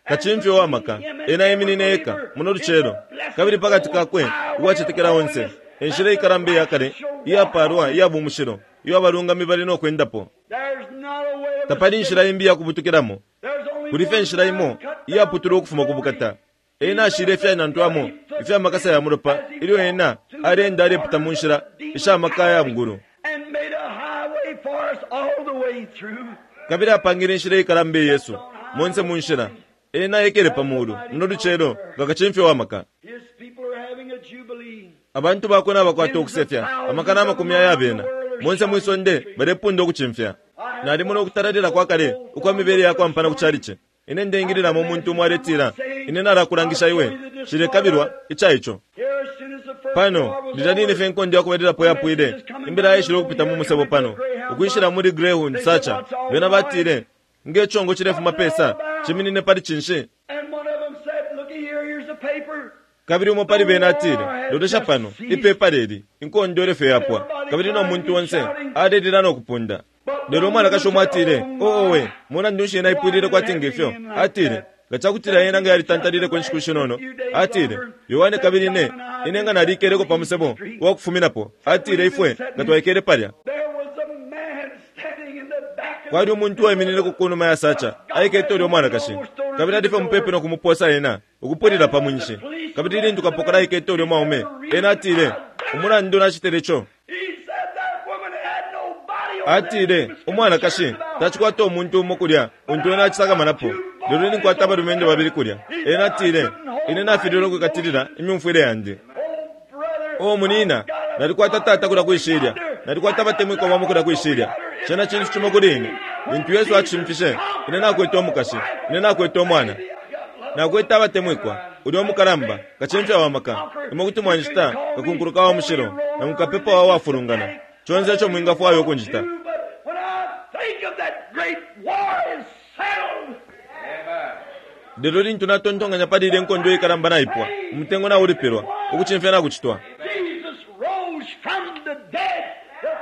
Kacimfya uwa maka, ena eminine eka muno lucelo, kabili pa kati kakwe uwacetekela onse, e nshila ikalamba iya kale, iyapaalwa iya bumushilo iyo abalungami bali no kwendapo. Tapali inshila imbi iya kubutukilamo. Kuli fye inshila imo iyaputulwa ukufuma ku bukata. Ena ashile ifyanantwamo ifya makasa ya mulopa ilyo ena aleenda alepita mu nshila isha maka ya ngulu. Kabili apangile inshila ikalamba iyesu monse mu nshila. Ena ekele pa mulu muno lucelo nga kacimfya wa maka. Abantu bakwe nabakwata ukusefya amakana amakumi aya bena monse mwi sonde balepunda ukucimfya. Nalimona ukutalalila kwa kale ukwa mibele ya kwampana ku calici. Ine ndeingililamo umuntu umo aletila, Ine nalakulangisha iwe, nshilekabilwa ica ico. Pano, lilya line fye inkondo ya kubalilapo yapwile, imbila yaishile ukupita mu musebo pano, ukwishila muli Greyhound Sacha. Bena batile, Nge congo cilefuma pesa, ciminine pali cinshi? Kabili umo pali bena atile, Lolesha pano, ipepala ili, inkondo ilyo fye yapwa. Kabili no muntu onse alelila no kupunda. Lelo umwanakashi umo atile, Oh, owe, mulandu nshi yena aipwilile kwati nge fyo? Atile, Nga cakutila yena nga yalitantalileko inshiku shinono, atile, Yohane kabili ine, ine nga naliikeleko pa musebo wa kufuminapo, atile, ifwe nga twaikele palya. Kwali umuntu uwaiminineko kunuma ya sacha, aikete ulya umwanakashi, kabili ali fye mupepi no kumuposa ena ukupulila pa mwinshi. Kabili ilintu kapokola aikete ulya mwaume, ena atile, Umulandu nacitile co, atile, umwanakashi tacikwata umuntu umo kulya untu ena acisakamanapo, lelo ninkwata abalumendo babili kulya. Ena atile, Ine nafililwe ukwikatilila imyumfwile yandi. Oh, munina, nalikwata tata kulya kwishilya. Nalikwata abatemwikwa bamo kulya kwishilya. Cena cintu cimo kuli ine. Lintu Yesu acimfishe, ine nakwete umukashi, ine nakwete umwana. Nakwete abatemwikwa, ulya umukalamba, kacimfya wa maka. Imwe kuti mwanjita kakunkuluka wa mushilo, nangu kapepa wa wafulungana, conse ico mwingafwaya ukunjita. Lelo lintu natontonkanya pali ilya inkondo ikalamba naipwa, umutengo naulipilwa, ukucimfya nakucitwa.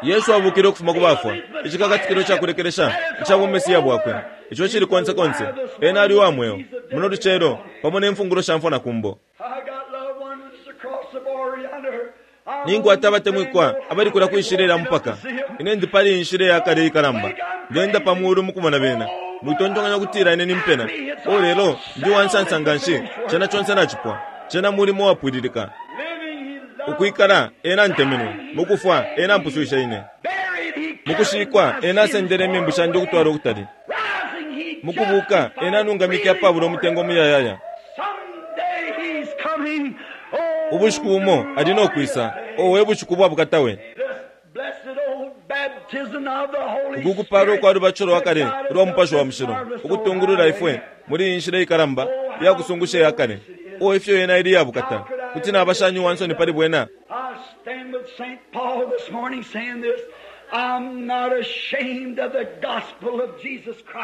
Yesu abukile ukufuma ku bafwa, icikakatikilo ca kulekelesha ica buMesiya bwakwe, ico icili konse konse. Ena ali uwa mweo, muno lucelo, pamo ne mfungulo sha mfwa na kumbo. Ninkwata abatemwikwa abali kulya kwi shilya lya mupaka. Ine ndi pali iyi nshila iya kale ikalamba, ndenda pa mulu mukumona bena. Mwitontonkanya ukutila ine nimpena. Oh, lelo ndi uwansansa nganshi, cena conse nacipwa. Cena mulimo uwapwililika. Ukwikala, Ena antemenwe. Mukufwa, Ena ampuswishe ine. Mukushikwa, Ena asendele imembu shandi ukutwala ukutali. Mukubuka, Ena anungamike apabula umutengo umuyayaya. Ubushiku bumo Ali no kwisa. Oh, we bushiku ubwa bukata we! Uku kupalwa ukwa lubatisho lwa kale ulwa Mupashi wa Mushilo ukutungulula ifwe muli iyi nshila ikalamba iya kusungusha iya kale. Oh, ifyo yena ili iya bukata! Kuti naba shani uwa nsoni pali bwena?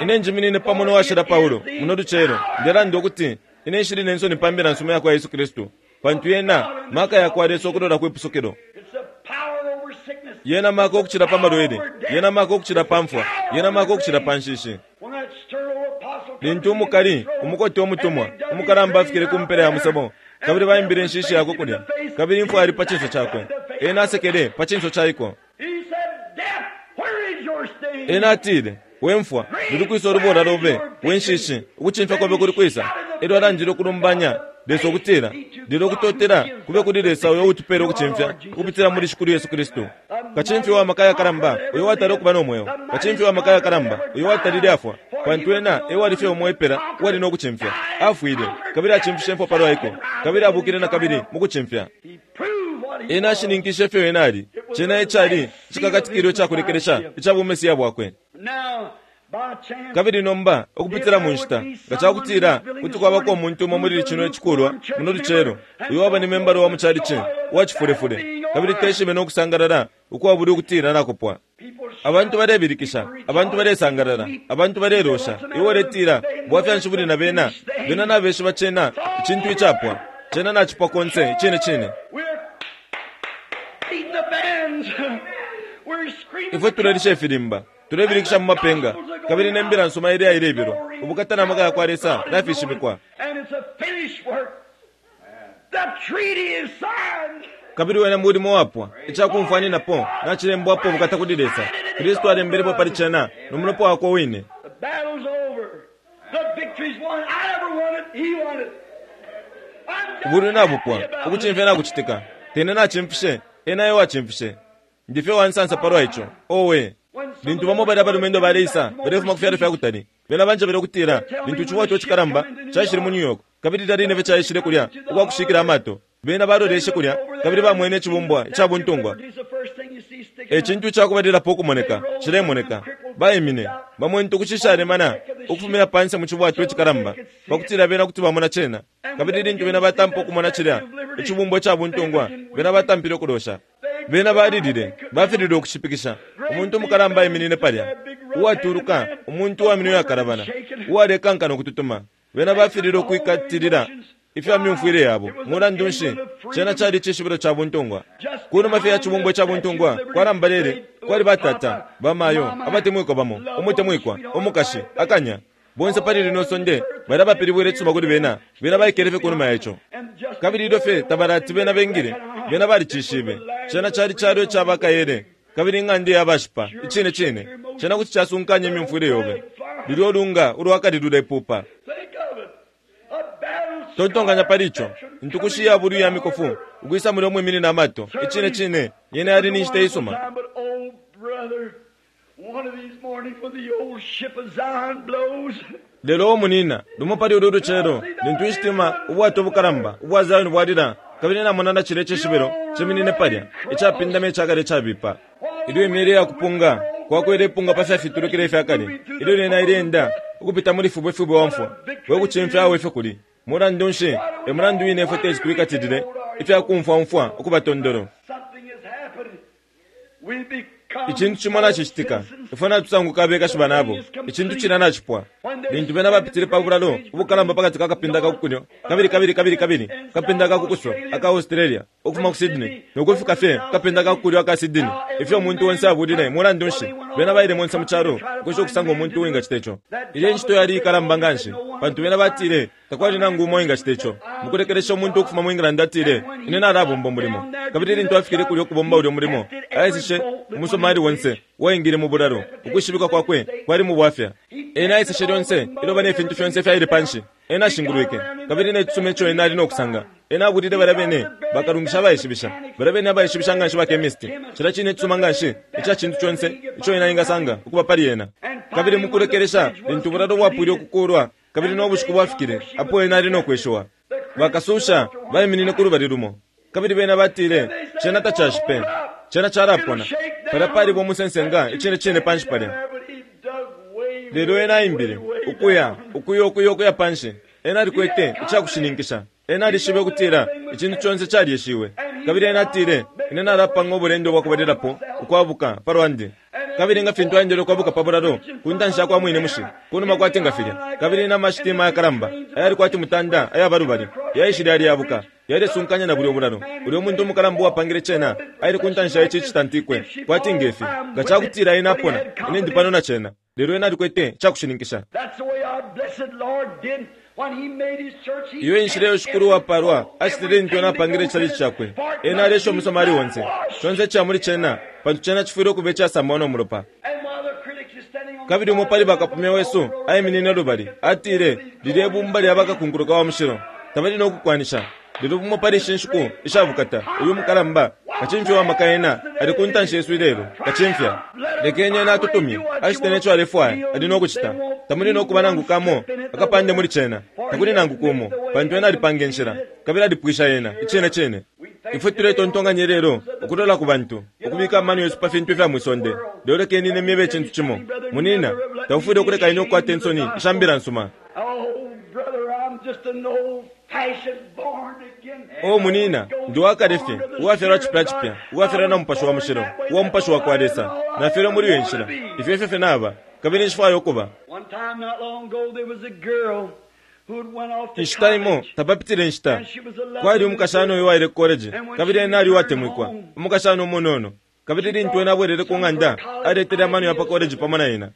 Ine njiminine pamo no Washila Paulo muno lucelo, ndelanda ukuti ine nshili ne nsoni pa Mbila nsuma yakwa Yesu Kristu, pantu yena maka yakwa Lesa ukulola kwi pusukilo. Yena maka ukucila pa malwele. Yena maka ukucila pa mfwa. Yena maka ukucila pa nshishi. Lintu umukali, umukote umutumwa, umukalamba afikile ku mpela ya musebo, kabili baimbile inshishi yakwe kulya, kabili imfwa yali pa cinso cakwe, ena asekele pa cinso ca iko. Ena atile, We mfwa, luli kwisa ulubola lobe? We nshishi, ukucimfya kobe kuli kwisa? Elyo alandile ukulumbanya Lesa ukutila, Lelo ukutotela kube kuli Lesa uyo uutupela ukucimfya ukupitila muli Shikulu Yesu Kristu. Kacimfya uwa maka ayakalamba uyo uwatala ukuba no mweo, kacimfya uwa maka ayakalamba uyo uwatalile afwa, pantu ena e wali fye umo epela uwali no kucimfya. Afwile, kabili acimfishe imfwa palwa iko, kabili abukile na kabili mu kucimfya. Ena ashininkishe ifyo ena ali. Cena e cali icikakatikilo ica kulekelesha ica buMesiya bwakwe. Kabili nomba, ukupitila mu nshita, nga ca kutila kuti kwabako umuntu umo muli cino icikulwa muno lucelo, uyo waba ni membala wa mu chalichi uwa cifulefule, kabili teshibe no kusangalala ukwabula ukutila nakupwa. Abantu balebilikisha, abantu balesangalala, abantu balelosha. Iwe uletila, Bwafya nshi buli na bena? Bena nabeshiba cena icintu icapwa. Cena nacipwa konse, icine cine. Ifwe tulelisha ifilimba. Tulebilikisha mu mapenga, kabili ne mbila nsuma ileya ilebilwa. Ubukata na maka ya kwa Lesa nafishibikwa. And it's a finished work. The treaty is signed. Kabili wena mulimo wapwa, icakumfwaninapo nacilembwapo ubukata kuli Lesa. Kristu alembelepo pali cena no mulopa wakwe wine. The battle's over. The victory's won. I never won it. He won it. I'm just Ubulwi nabupwa, happy about it. ukucimfya nakucitika. Tene nacimfishe, ena e wacimfishe. Ndi fye uwansansa palwa ico. Owe! Lintu bamo balya abalumendo baleisa, balefuma ku fyalo fya kutali, bena banjebele ukutila lintu icibwato icikalamba caishile mu New York, kabili lilya line fye caishile kulya ukwa kushikila amato, bena baloleshe kulya kabili bamwene icibumbwa ica buntungwa. It's the first thing you see sticking E cintu icakubalilapo ukumoneka, cilemoneka. Baimine, bamwene intukushi ishalemana ukufumina panse mu cibwato icikalamba, pakutila bena kuti bamona cena. Kabili lintu bena batampa ukumona cilya icibumbwa ica buntungwa, bena batampile ukulosha. Bena balilile, bafililwe ukushipikisha. Umuntu umukalamba aiminine palya, uwatuluka, umuntu uwa minwe yakalabana, uwalekankana ukututuma. Bena bafililwe ukwikatilila ifya myumfwile yabo. Mulandu nshi, cena cali icishibilo ca buntungwa. Kunuma fye ya cibumbwa ca buntungwa kwalambalele, kwali batata, bamayo, abatemwikwa bamo, umutemwikwa, umukashi, akanya. Bonse pali lino sonde bali abapilibwile icisuma kuli bena, bena baikele fye kunuma ya ico. Kabili ilyo fye tabalati bena bengile, bena balicishibe. Cena cali calo ica bakayele, kabili ing'anda iya bashipa, icine cine. Cena kuti casunkanya imyumfwile yobe. Lulyo lunga ulwakali lulepupa. Think of it. A battle Tontonkanya pali ico, intukushi ya bulwi ya mikofu, ukwisa mulya umwiminina amato, icine cine, yena yali ni nshita isuma. But oh, brother, one of these mornings when the old ship of Zion blows, Lelo o munina, lumo pali ulu lucelo, lintu ishitima ubwato bukalamba ubwa Zion bwalila, kabili namona na cilya icishibilo ciminine palya, icapindama icakale icabipa. Ilyo imyele ya kupunga kwakwele ipunga pa fyafitulukile ifya kale, ilyo lyena ileenda ukupita muli fubwefubwe wa mfwa, we kucimfya awe ifyo kuli. Mulandu nshi, e mulandu wine ifwe teti twikatilile ifya kumfwaumfwa ukuba tondolo. something has happened. We become Icintu cimo nacicitika, ifwe natusanguka abekashi banabo. Icintu cila nacipwa. Lintu bena bapitile pa bulalo ubukalamba pakati ka kapinda ka kukulyo, kabili kabili kabili kabili kapinda ka kukuso aka Australia, ukufuma ku Sydney, nokufika fye kapinda ka kukulyo aka Sydney. Ifyo umuntu onse abulile, mulandu nshi, bena baile monse mu calo ukwesha ukusanga umuntu uwingacita ico. Ilya incito yali ikalamba nganshi, pantu bena batile takwali nangu umo uwingacita ico. Mukulekelesha umuntu ukufuma mu England atile, ine nalabomba umulimo. Kabili lintu afikile kulya ukubomba ulyo mulimo, aeseshe umusomali onse uwaingile mu bulalo, ukwishibikwa kwakwe kwali mu bwafya. Ena aeseshe lyonse iloba ne fintu fyonse fyaile panshi. Ena ashingulwike, kabili ne cisuma ico ena ali no kusanga. Ena abulile balya bene bakalungisha abaishibisha, balya bene abaishibisha nganshi ba chemist, cilya cine icisuma nganshi ica cintu conse ico ena engasanga ukuba pali ena. Kabili mukulekelesha lintu ubulalo bwapwile ukukulwa, kabili no bushiku bwafikile apo ena ali no kweshiwa, bakasusha baiminine ku lubali lumo, kabili bena batile cena tacashipe, cena calapona. Palya paliba umusensenga icine cine panshi palya. But he dug way, Lelo ena aimbile ukuya ukuya ukuya ukuya panshi. Ena alikwete icakushininkisha. Ena alishibe ukutila icintu conse calyeshiwe. Kabili ena atile, ine nalapanga ubulendo bwakubalilapo ukwabuka pa lwandi. Kabili nga fintu aendele ukwabuka pa bulalo ku ntanshi ya kwa mwine mushi, kunuma kwati nga filya. Kabili n'amashitima ayakalamba ayali kwati mutanda ayaba lubali yaishile yalyabuka, yalesunkanya na bulyo bulalo. Ulyo muntu umukalamba uwapangile cena aile ku ntanshi ya ici citantikwe kwati ngefi. Nga cakutila ena apona, ine ndi pano na cena. Lelo ena alikwete icakushininkisha. That's the way our blessed Lord did when he made his church. He Iyo inshila iyo Shikulu wapalwa acitile lintu ena apangile icalici cakwe. Ena alesha umusomali onse, conse ica muli cena, pantu cena cifwile ukuba icasambwa no mulopa. And while the critics is standing on Kabili umo pali bakapumya wesu aiminine lubali, atile, lilye bumba lya bakakunkuluka wa mushilo, tabali no kukwanisha. Lelo bumo pali ishi nshiku ishabukata, uyu mukalamba, kacimfya wa maka ena, ali ku ntanshi yesu ilelo, kacimfya. Lekeni ena atutumye, acite neco alefwaya, ali no kucita. Tamuli no kuba nangu kamo, akapande muli cena, takuli nangu kumo, pantu ena alipanga inshila, kabili alipwisha yena, icine cine. Ifwe tuletontonkanya lelo ukulola ku bantu, ukubika amano yesu pa fintu ifya mwisonde. Lelo lekeni ine myebe icintu cimo. Munina, taufwile ukuleka ine ukukwata insoni isha mbila nsuma. Oh, brother, I'm just an old-fashioned born again. O munina, ndi wakale fye, uwafyalwa cipya cipya, uwafyalwa na mupashi wa mushilo, uwa mupashi wa kwa Lesa. Nafyalwa muli iyo nshila. Ifyo efyo fye naba, kabili nshifwaya ukuba. One time not long ago there was a girl who had went off to Inshita imo college. tapapitile inshita, kwali umukashana uyo waile ku college, kabili ena ali uwatemwikwa, umukashana umunono. Kabili lintu ena abwelele ku ng'anda, aletele amano ya pa koleji pamo na ena.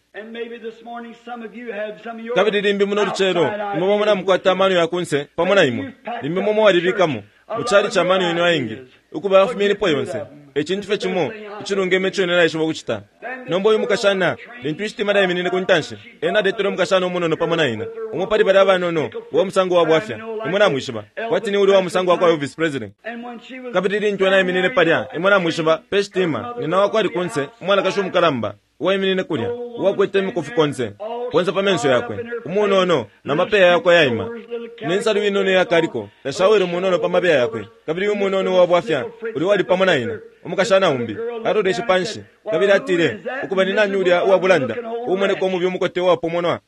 Kabili limbi muno lucelo, imwe bamo namukwata amano ya kunse pamo na imwe. Limbi imwe mwalibikamo mu calici amano yenu ayengi. Ukuba, yafumyenipo yonse. E cintu fye cimo icilungeme ico ine naishiba ukucita. Nomba uyu mukashana, lintu ishitima lyaiminine ku ntanshi, ena aletele umukashana umunono pamo na ena, umo pali balya abanono uwa musango wa bwafya, imwe namwishiba, kwati ni ulya wa musango wa kwa Elvis Presley. Kabili lintu ena aiminine palya, imwe namwishiba, pe shitima, nyina wakwe ali kunse, umwanakashi umukalamba, uwaiminine kulya, uwakwete imikufi konse konse pa menso yakwe, umunono, na mapeya yakwe ayaima, ne nsalu inono iyakaliko, na shawelo munono pa mabeya yakwe, kabili uyu munono uwa bwafya ulya uwali pamo na ina, umukashana umbi, aloleshe panshi, kabili atile, Ukuba, ni nani ulya uwa bulanda, uumoneka umubi umukote uwapomonwa?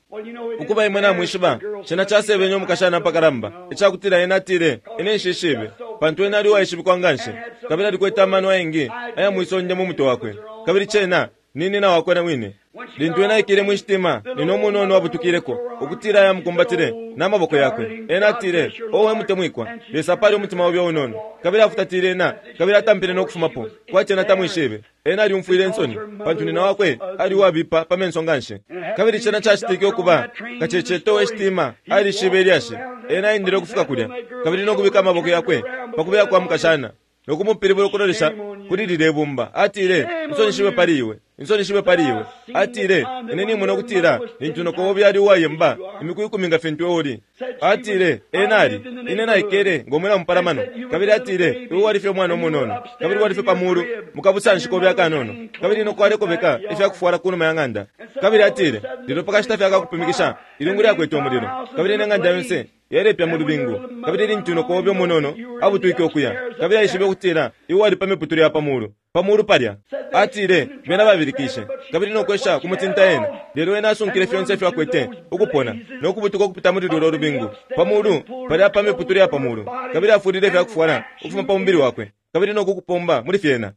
Ukuba, imwe namwishiba, cena casebenye umukashana apakalamba, icakutila ena atile, Ine nshishibe, pantu ena ali uwaishibikwa nganshi, kabili alikwete amano ayengi aya mwisonde mu mutwe wakwe, kabili cena ni nina wakwe na wine. Lintu ena aikile mwi shitima, nina umunono abutukileko, ukutila aya mukumbatile na maboko yakwe. Ena atile, O we mutemwikwa, Lesa apale umutima obe unono. Kabili afutatile ena, kabili atampile no kufumapo, kwati ena tamwishibe. Ena alyumfwile insoni, pantu nina wakwe ali uwabipa pa menso nganshi. Kabili cena cacitike ukuba, kaceceto we shitima alishibe ilyashi. Ena aendele ukufika kulya, kabili no kubika amaboko yakwe pa kubeya kwa mukashana, no kumupilibula ukulolesha kuli lilye bumba. Atile, Insoni shibe pali iwe! Insoni shibe pali iwe! Atile, Ine nimona ukutila lintu noko obe ali uwayemba imiku ikumi nga fintu iwe uli. Atile, Ena ali. Ine naikele ngo mwina mupalamano. Kabili atile, Iwe wali fye umwana umunono, kabili wali fye pa mulu mu kabusanshi kobe akanono, kabili noko alekobeka ifya kufwala kunuma ya ng'anda. Kabili atile, Lelo pa kashita fye akakupumikisha, ilungu lyakwete umulilo, kabili ne ng'anda yonse yalepya mu lubingu. Kabili lintu noko obe umunono abutwike ukuya, kabili aishibe ukutila iwe wali pa miputule ya pa mulu, pa mulu palya. Atile, Bena babilikishe, kabili no kwesha kumutinta ena, lelo ena asunkile fyonse ifyo akwete, ukupona, no kubutuka ukupita muli lulyo lubingu, pa mulu palya pa miputule ya pa mulu, kabili afulile ifya kufwala ukufuma pa mubili wakwe, kabili no kukupomba muli fyena.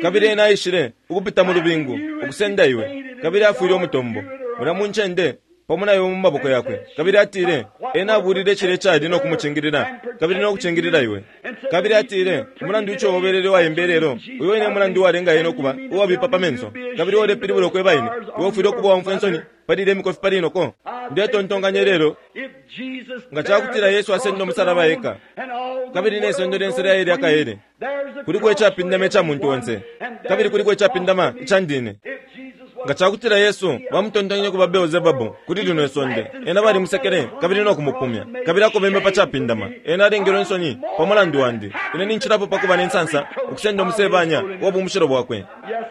Kabili ena aishile ukupita mu lubingu, ukusenda iwe, kabili afwile umutombo mulya mu ncende, pamo na iwe mu maboko yakwe. Kabili atile, Ena abulile cilya icali no kumucingilila, kabili no kucingilila iwe. Kabili atile, Umulandu ico ubelele uwayemba ilelo, uyo wine emulandu uwalenga ena ukuba uwabipa pa menso. Kabili iwe ulepilibula ukweba ine, iwe ufwile ukuba uwaumfwa insoni pali ilya imikofi pali inoko? Ndetontonkanya ilelo, nga cakutila Yesu asenda umusalaba eka, kabili ne sonde lyonse lyaile lyakaele, kuliko icapindama ica muntu onse, kabili kuliko icapindama ica ndine. Nga cakutila Yesu bamutontonkenye ukuba Beelzebabu kuli lino isonde, ena balimusekele kabili no kumupumya, kabili akobeme pa capindama. Ena alengelwe insoni pa mulandu wandi. Ine nincilapo pa kuba ne nsansa ukusenda umusebanya uwa bumushilo bwakwe.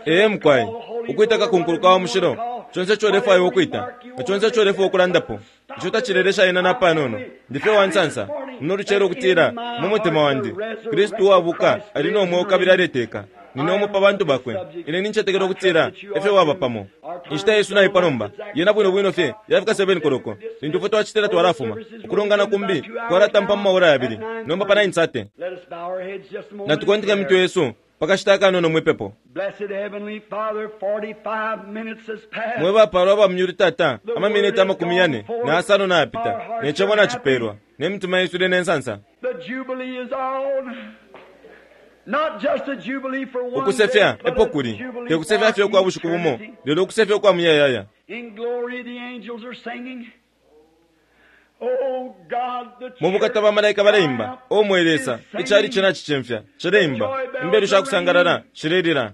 Ee, mukwai. Ukwita kakunkulu ka wa mushilo, conse ico ulefwaya ukwita, na conse ico ulefwaya ukulandapo, ico tacilelesha ena napanono. Ndi fye uwa nsansa muno lucelo ukutila mu mutima wandi, Kristu uwabuka ali no mweo kabili aleteka. Nine umo pa bantu bakwe. Ine nincetekela ukutila efyo waba pamo. Inshita yesu naipwa nomba. Yena bwino bwino fye yafika 7 koloko. Lintu ifwe twacitila twalafuma. Ukulongana kumbi kwalatampa mu maora yabili, nomba pa 9:30. Natukonteke imitwe yesu pa kashita akanono mwi pepo. Mwe bapalwa aba mu myulu Tata, amaminiti 45 nayapita, ne cebo nacipelwa, ne mitima yesu ili ne nsansa. Ukusefya epo kuli, te kusefya fye ukwa bushiku bumo, lelo ukusefya ukwa muyayaya. Mu bukata bamalaika baleimba, O mwe Lesa, icalici nacicimfya, cileimba, imbelu sha kusangalala shilelila.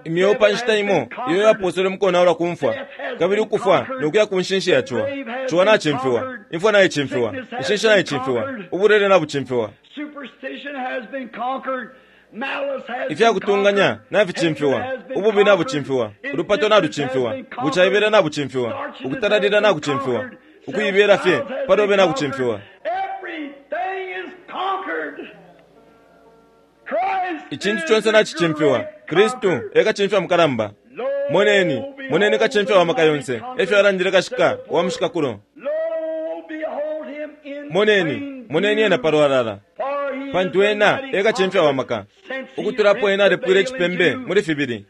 Imyeo pa nshita imo iyo yapooselwe mu konaulwa ku mfwa, kabili ukufwa no kuya ku nshinshi ya ciwa. Ciwa nacimfiwa, imfwa naicimfiwa, inshinshi naicimfiwa, ubulwele nabucimfiwa. Ifya kutunganya naficimfiwa, ububi nabucimfiwa, ulupato nalucimfiwa, bucaibela nabucimfiwa, ukutalalila nakucimfiwa, ukuibela fye pa lobe nakucimfiwa. Icintu conse nacicimfiwa. Kristu e Kacimfya mukalamba. Moneni, moneni Kacimfya wa maka yonse, e fyo alandile kashika wa mushikakulo. Moneni, moneni ena pa lwalala, pantu ena e Kacimfya wa maka. Ukutula apo ena alepwile icipembe muli fibili,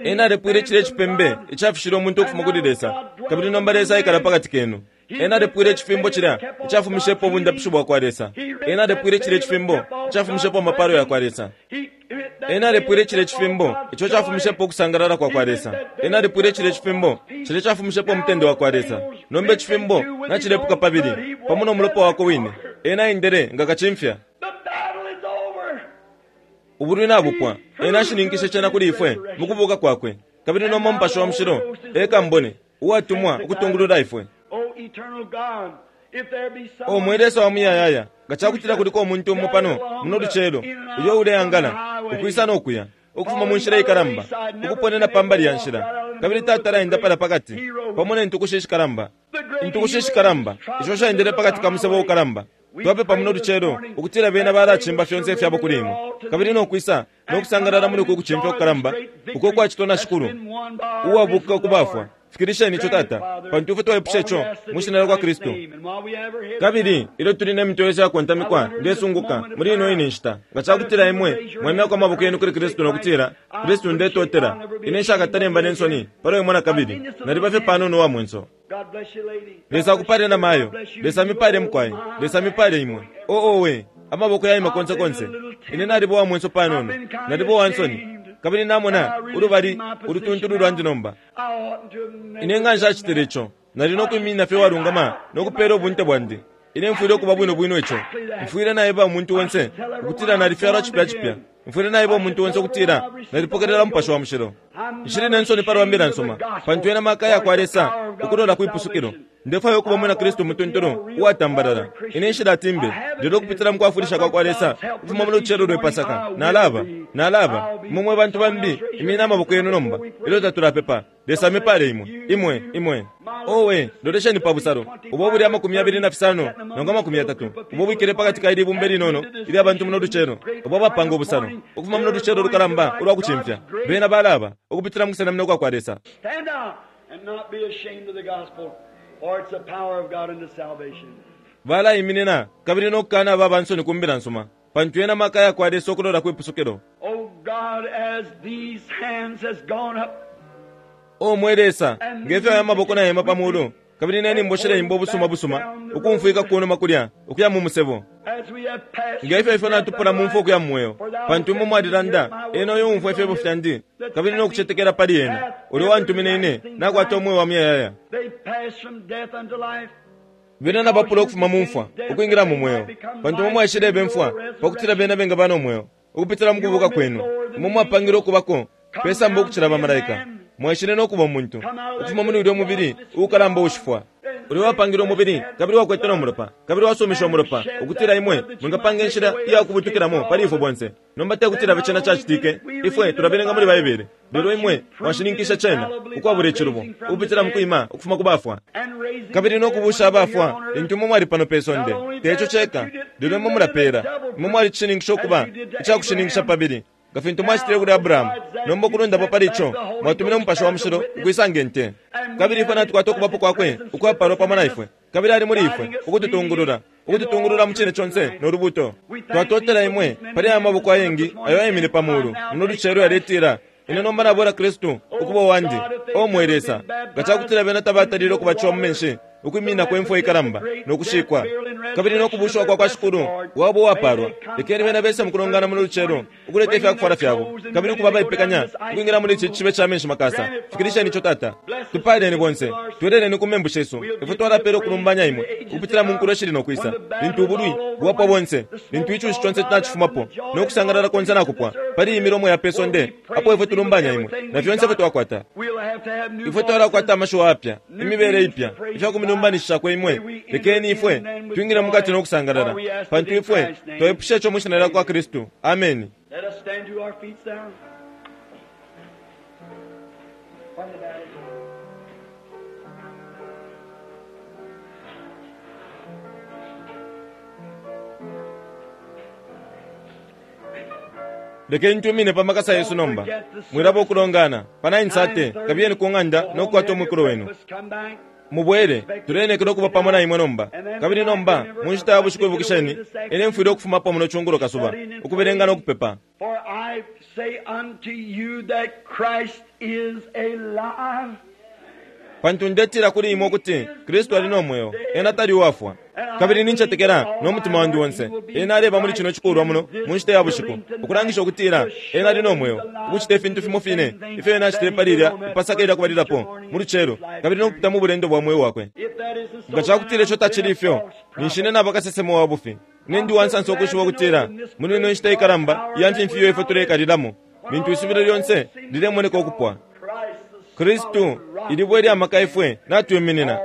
ena alepwile cilya icipembe icafishile umuntu ukufuma kuli Lesa, kabili nomba Lesa aikala pa kati kenu. Ena alepwile icifimbo cilya icafumishepo ubundapishi bwakwa Lesa. Ena alepwile cilya icifimbo icafumishepo amapalo yakwa Lesa. Ena alepwile cilya icifimbo ico cafumishepo ukusangalala kwakwa Lesa. Ena alepwile cilya icifimbo cilya cafumishepo umutende wakwa Lesa. Nomba icifimbo nacilepuka pabili, pamo no mulopa wakwe wine. Ena aendele nga kacimfya. Ubulwi nabupwa. Ena ashininkishe cena kuli ifwe mukubuka kwakwe. Kabili nomba Mupashi wa Mushilo e kambone uwatumwa ukutungulula ifwe. O mwe Lesa wa Muyayaya, nga cakutila kuliko umuntu umo pano muno lucelo uyo uleangala, ukwisa no kuya, ukufuma mu nshila ikalamba, ukuponena pa mbali ya nshila, kabili tatala enda palya pakati, pamo ne ntukushi ishikalamba, intukushi ishikalamba isho shaendele pakati ka musebo ukalamba, twapepa muno lucelo ukutila bena balacimba fyonse ifyabo kuli Imwe, kabili no kwisa no kusangalala muli uku kucimfya kukalamba uko kwacitwa na Shikulu uwabuka ku bafwa. Fikilisheni ico, Tata, pantu ifwe twaipusha ico mwi Shina lyakwa Kristu. Kabili ilyo tuli ne mitwe yesu iyakontamikwa, ndesunguka, muli ino ine nshita, nga cakutila imwe mwaimyako amaboko yenu kuli Kristu no kutila, Kristu, ndetotela. Ine nshakatale mba ne nsoni palwa Imwe nakabili. Naliba fye panono uwa mwenso. Lesa akupale, namayo. Lesa amipale, mukwai. Lesa amipale imwe. Oh, owe! Amaboko yaima konse konse. Ine naliba uwa mwenso panono. Naliba uwa nsoni. Kabili namona ulubali ulutuntulu lwandi nomba. Ine nga nshacitile ico, nali no kwiminina fye uwalungama no kupela ubunte bwandi. Ine mfwile ukuba bwino bwino ico. Mfwile naeba umuntu onse ukutila nalifyalwa cipya cipya. Mfwile naeba umuntu onse ukutila nalipokelela Mupashi wa Mushilo. Nshili ne nsoni palwa Mbila nsuma, pantu yena maka yakwa Lesa ukulola kwi pusukilo. Ndefwaya ukuba Umwina Kristu umutuntulu, uwatambalala. Ine nshilati mbe, lelo ukupitila mu kwafwilisha kwa kwa Lesa, ukufuma mu lucelo lwe Pasaka, nalaba, nalaba. Imwe mwe bantu bambi, imyeni amaboko yenu nomba, ilyo tatulapepa. Lesa amipale imwe. Imwe, imwe. Owe, lolesheni pa busalo, ubo ubuli 25 nangu 30, ubo ubwikele pakati ka ili ibumba ilinono ilya bantu muno lucelo, ubo abapanga ubusalo, ukufuma muno lucelo lukalamba ulwa kucimfya. Bena balaba, ukupitila mu kusenamina ukwa kwa Lesa. Stand out and not be ashamed of the gospel, for it's the power of God unto salvation. Balaiminina kabili no kukanaba aba nsoni ku mbila nsuma, pantu yena maka yakwa Lesa ukulola kwi pusukilo. O God, as these hands has gone up, O mwe Lesa, nge fyo aya maboko nayema pa mulu, kabili ne nyimbo shileimba ubusuma busuma ukumfwika kunuma kulya ukuya mu musebo, as we have passed nge fyo ifwe natupula mu mfwa ukuya mu mweo, pantu imwe mwalilanda, Ena uyo uumfwa ifyebo fyandi, kabili no kucetekela pali ena, ulya uwantumine ine, nakwata umweo wa muyayaya. They passed from death unto life. Bena nabapula ukufuma mu mfwa ukwingila mu mweo, pantu imwe mwaishileba imfwa pakutila bena bengaba no mweo ukupitila mu kubuka kwenu. Imwe mwapangilwe ukubako pe samba ukucila bamalaika. Mwaishile no kuba umuntu, ukufuma muli ulyo mubili uukalamba uushifwa. Ulya uwapangilwe umubili, kabili uwakwete no mulopa, kabili uwasumishe umulopa, ukutila imwe mwingapanga inshila iya kubutukilamo pali ifwe bonse. Nomba te kutila fye cena cacitike, ifwe tulabelenga muli Baibele, lelo imwe mwashininkisha cena ukwabula icilubo, ukupitila mu kwima ukufuma ku bafwa, kabili no kubuusha abafwa lintu imwe mwali pano pe sonde. Te ico ceka, lelo imwe mulapeela. Imwe mwalicishininkisha ukuba ica kushininkisha pabili, nga fintu mwacitile kuli Abrahamu. Nomba ukulundapo pali ico, mwatumine Umupashi wa Mushilo ukwisa nge nte. Kabili ifwe natukwata Ukubapo Kwakwe ukwapalwa pamo na ifwe, kabili Ali muli ifwe, ukututungulula, ukututungulula mu Cine conse no Lubuuto. Twatotela Imwe pali aya maboko ayengi ayo ayemine pa mulu muno lucelo yaletila, Ine nomba nabwela Kristu ukuba uwandi. O mwe Lesa, nga cakutila bena tabatalile ukubatishiwa mu menshi, ukwimininako imfwa ikalamba, no kushikwa, kabili no kubuushiwa kwa kwa Shikulu wabo uwapaalwa, lekeni bena bese mukulongana muno lucelo, ukuleta ifyakufwala fyabo, kabili ukuba abaipekanya ukwingila muli ici cishibe ca menshi makasa. Fikilisheni ico, Tata. Tupaaleni bonse. Tweleleni ku membu shesu. Ifwe twalapela ukulumbanya Imwe, ukupitila mu nkulo ishili no kwisa, lintu ubulwi bwapwa bonse, lintu icushi conse nacifumapo, no kusangalala konse nakupwa, pali iyi milomo ya pe sonde, apo ifwe tulumbanya Imwe, na fyonse ifyo twakwata. Ifwe twalakwata amashiwi ayapya, imibele ipya, ifya kumilumbanishishako Imwe. Lekeni ifwe twingile mukati no kusangalala, pantu ifwe twaipusha ico mwi Shina lyakwa Kristu. Ameni. Let us stand to our feet now. Lekeni twimine pa makasa yesu nomba. Mwilaba ukulongana. Pa 9:30, kabiyeni ku ng'anda no kukwata umwikulo wenu. Mubwele, tuleenekela ukuba pamo na imwe nomba. Kabili nomba, mu nshita ya bushiku ibukisheni, ine mfwile ukufumapo muno cungulo kasuba, ukubelenga no kupepa. For I say unto you that Christ is alive. Pantu ndetila kuli imwe ukuti Kristu ali no mweo, ena tali uwafwa. Kabili nincetekela no mutima wandi onse, ena aleba muli cino cikulwa muno mu nshita ya bushiku, ukulangisha ukutila ena ali no mweo, ukucita ifintu fimo fine ifyo ena acitile pali ilya Ipasaka ilya kubalilapo mu lucelo, kabili no kupita mu bulendo bwa mweo wakwe. Nga ca kutila ico tacili ifyo, ninshi ine naba kasesema wa bufi. Ine ndi uwansansa ukwishiba ukutila muli ino nshita ikalamba iya mfimfi iyo ifwe tuleikalilamo, lintu isubilo lyonse lilemoneka ukupwa, Kristu, ilibwe ilya maka ifwe natwiminina.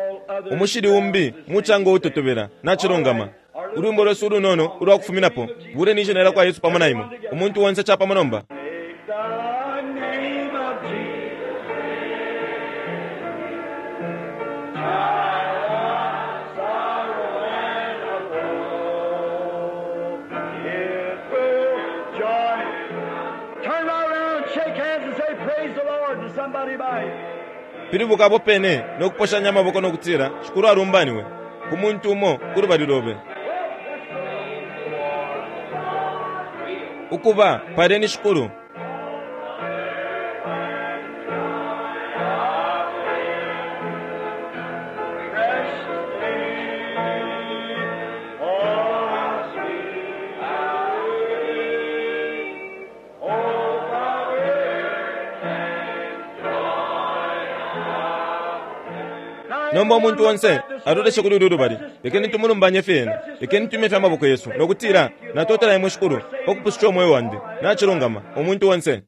Umushili umbi mucanga uutotobela. Nacilungama. Ulwimbo lwesu ulunono ulwa kufuminapo, Buleni Ishina lyakwa Yesu pamo na imwe. Umuntu onse capamo nomba. Pilibuka apo pene no kuposhanya amaboko no kutila, Shikulu alumbaniwe, ku muntu umo ku lubali lobe. Ukuba, paleni Shikulu. Nomba umuntu onse aloleshe kuli ulu lubali. Lekeni tumulumbanye fye Ena. Lekeni twimye fye amaboko yesu, no kutila, Natotela Imwe, Shikulu, pa kupususha umweo wandi. Nacilungama, umuntu onse.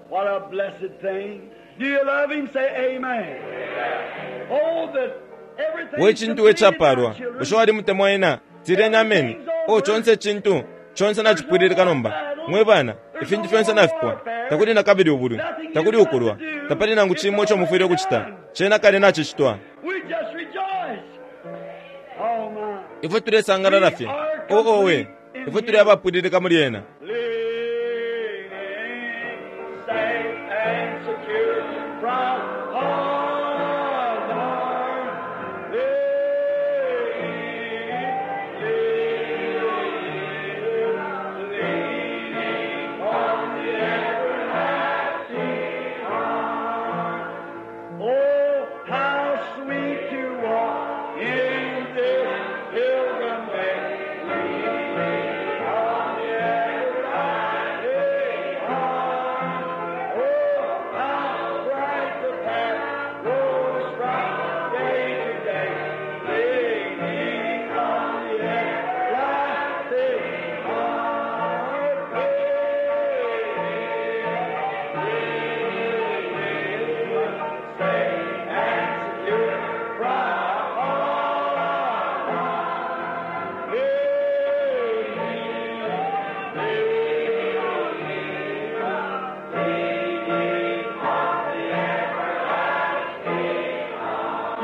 What a blessed thing. Do you love him? Say amen. Oh, that everything We cintu we capalwa. Bushe walimutemwa ena? Tileni ameni. Oh, conse icintu, conse nacipwililika nomba. Mwe bana, ifintu fyonse nafipwa. Takuli nakabili ubulwi, takuli ukulwa, tapali nangu cimo ico mufwile ukucita. Cena kale nacicitwa. We just rejoice. Oh my. Ifwe tulesangalala fye. Oh, oh, we. Ifwe tuli abapwililika muli ena. Leaning, safe and secure from all harm. Leaning, leaning, leaning on the everlasting arm. Oh, how sweet to walk in this pilgrim way, leaning on the everlasting arm. Oh, how bright the path grows from day to day, leaning on the everlasting arm.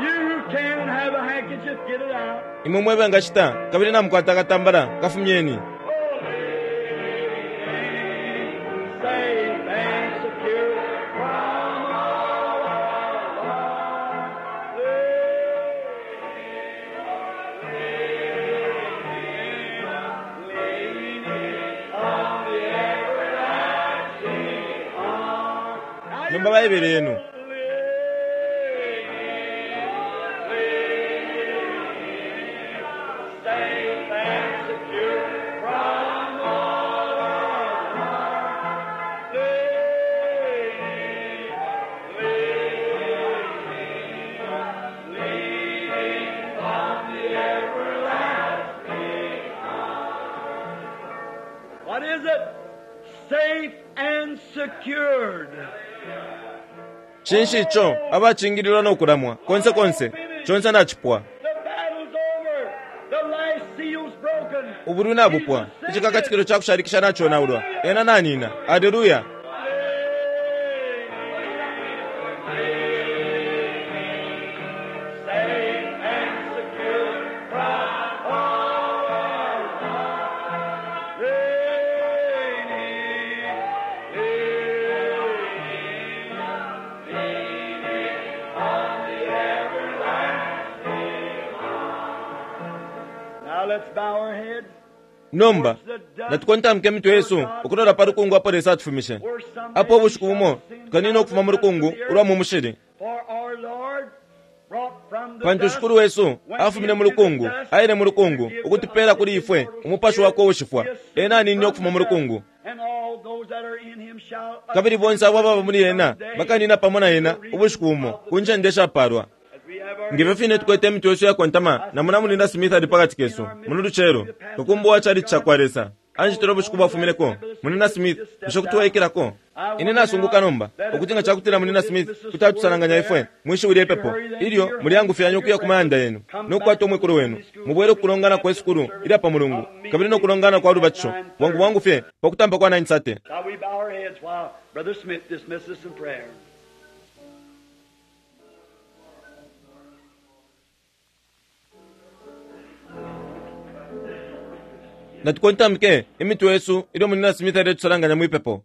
You can have a handkerchief, get it out. Imwe mwe bengacita, kabili namukwata akatambala, kafumyeni. Safe and secure from all harm. Leaning on the everlasting arm. Nomba baebele yenu. Safe and secure from all harm. Leaning, leaning, leaning on the everlasting arm. What is it? Safe and secured. Cinshi ico abacingililwa no kulamwa konse konse, conse nacipwa. The battle's over. The last seal's broken. Ubulwi nabupwa. Icikakatikilo ca kushalikisha naconaulwa. Ena nanina. Aleluya! Now let's bow our heads. Nomba natukontamike imitwe yesu ukulola pa lukungu apo Lesa atufumishe. Apo ubushiku bumo tukanina ukufuma mu lukungu ulwa mu mushili. For our Lord brought from the Pantu dust Shikulu wesu afumine mu lukungu, aile mu lukungu, ukutupela kuli ifwe umupashi wakwe uushifwa. Ena aninine ukufuma mu lukungu. and all those that are in him shall Kabili bonse abo ababa muli ena bakanina pamo na ena ubushiku bumo ku ncende ishapalwa. As we have our Ngefyo fine tukwete imitwe yesu yakontama na muna Mulinda Smith ali pakati kesu muno lucelo, kakumbu wa chalichi cakwa Lesa. Anjitile ubushiku bwafumineko. Mulinda Smith, bushe kuti waikilako? Ine nasunguka nomba ukuti nga cakutila Mulinda Smith kuti atusalanganya ifwe mwishiwi lye pepo ilyo muliyangufyanya ukuya ku mayanda yenu no kukwata umwikulu wenu, mubwele kukulongana kwe sukulu ilya pa mulungu kabili no kulongana kwa lubatisho bwangu bwangu fye pa kutampa kwa 9:30. Shall we bow our heads while Brother Smith dismisses us in prayer? Natukontamike imitwe yesu ilyo Mulinda Smith aletusalanganya mwipepo.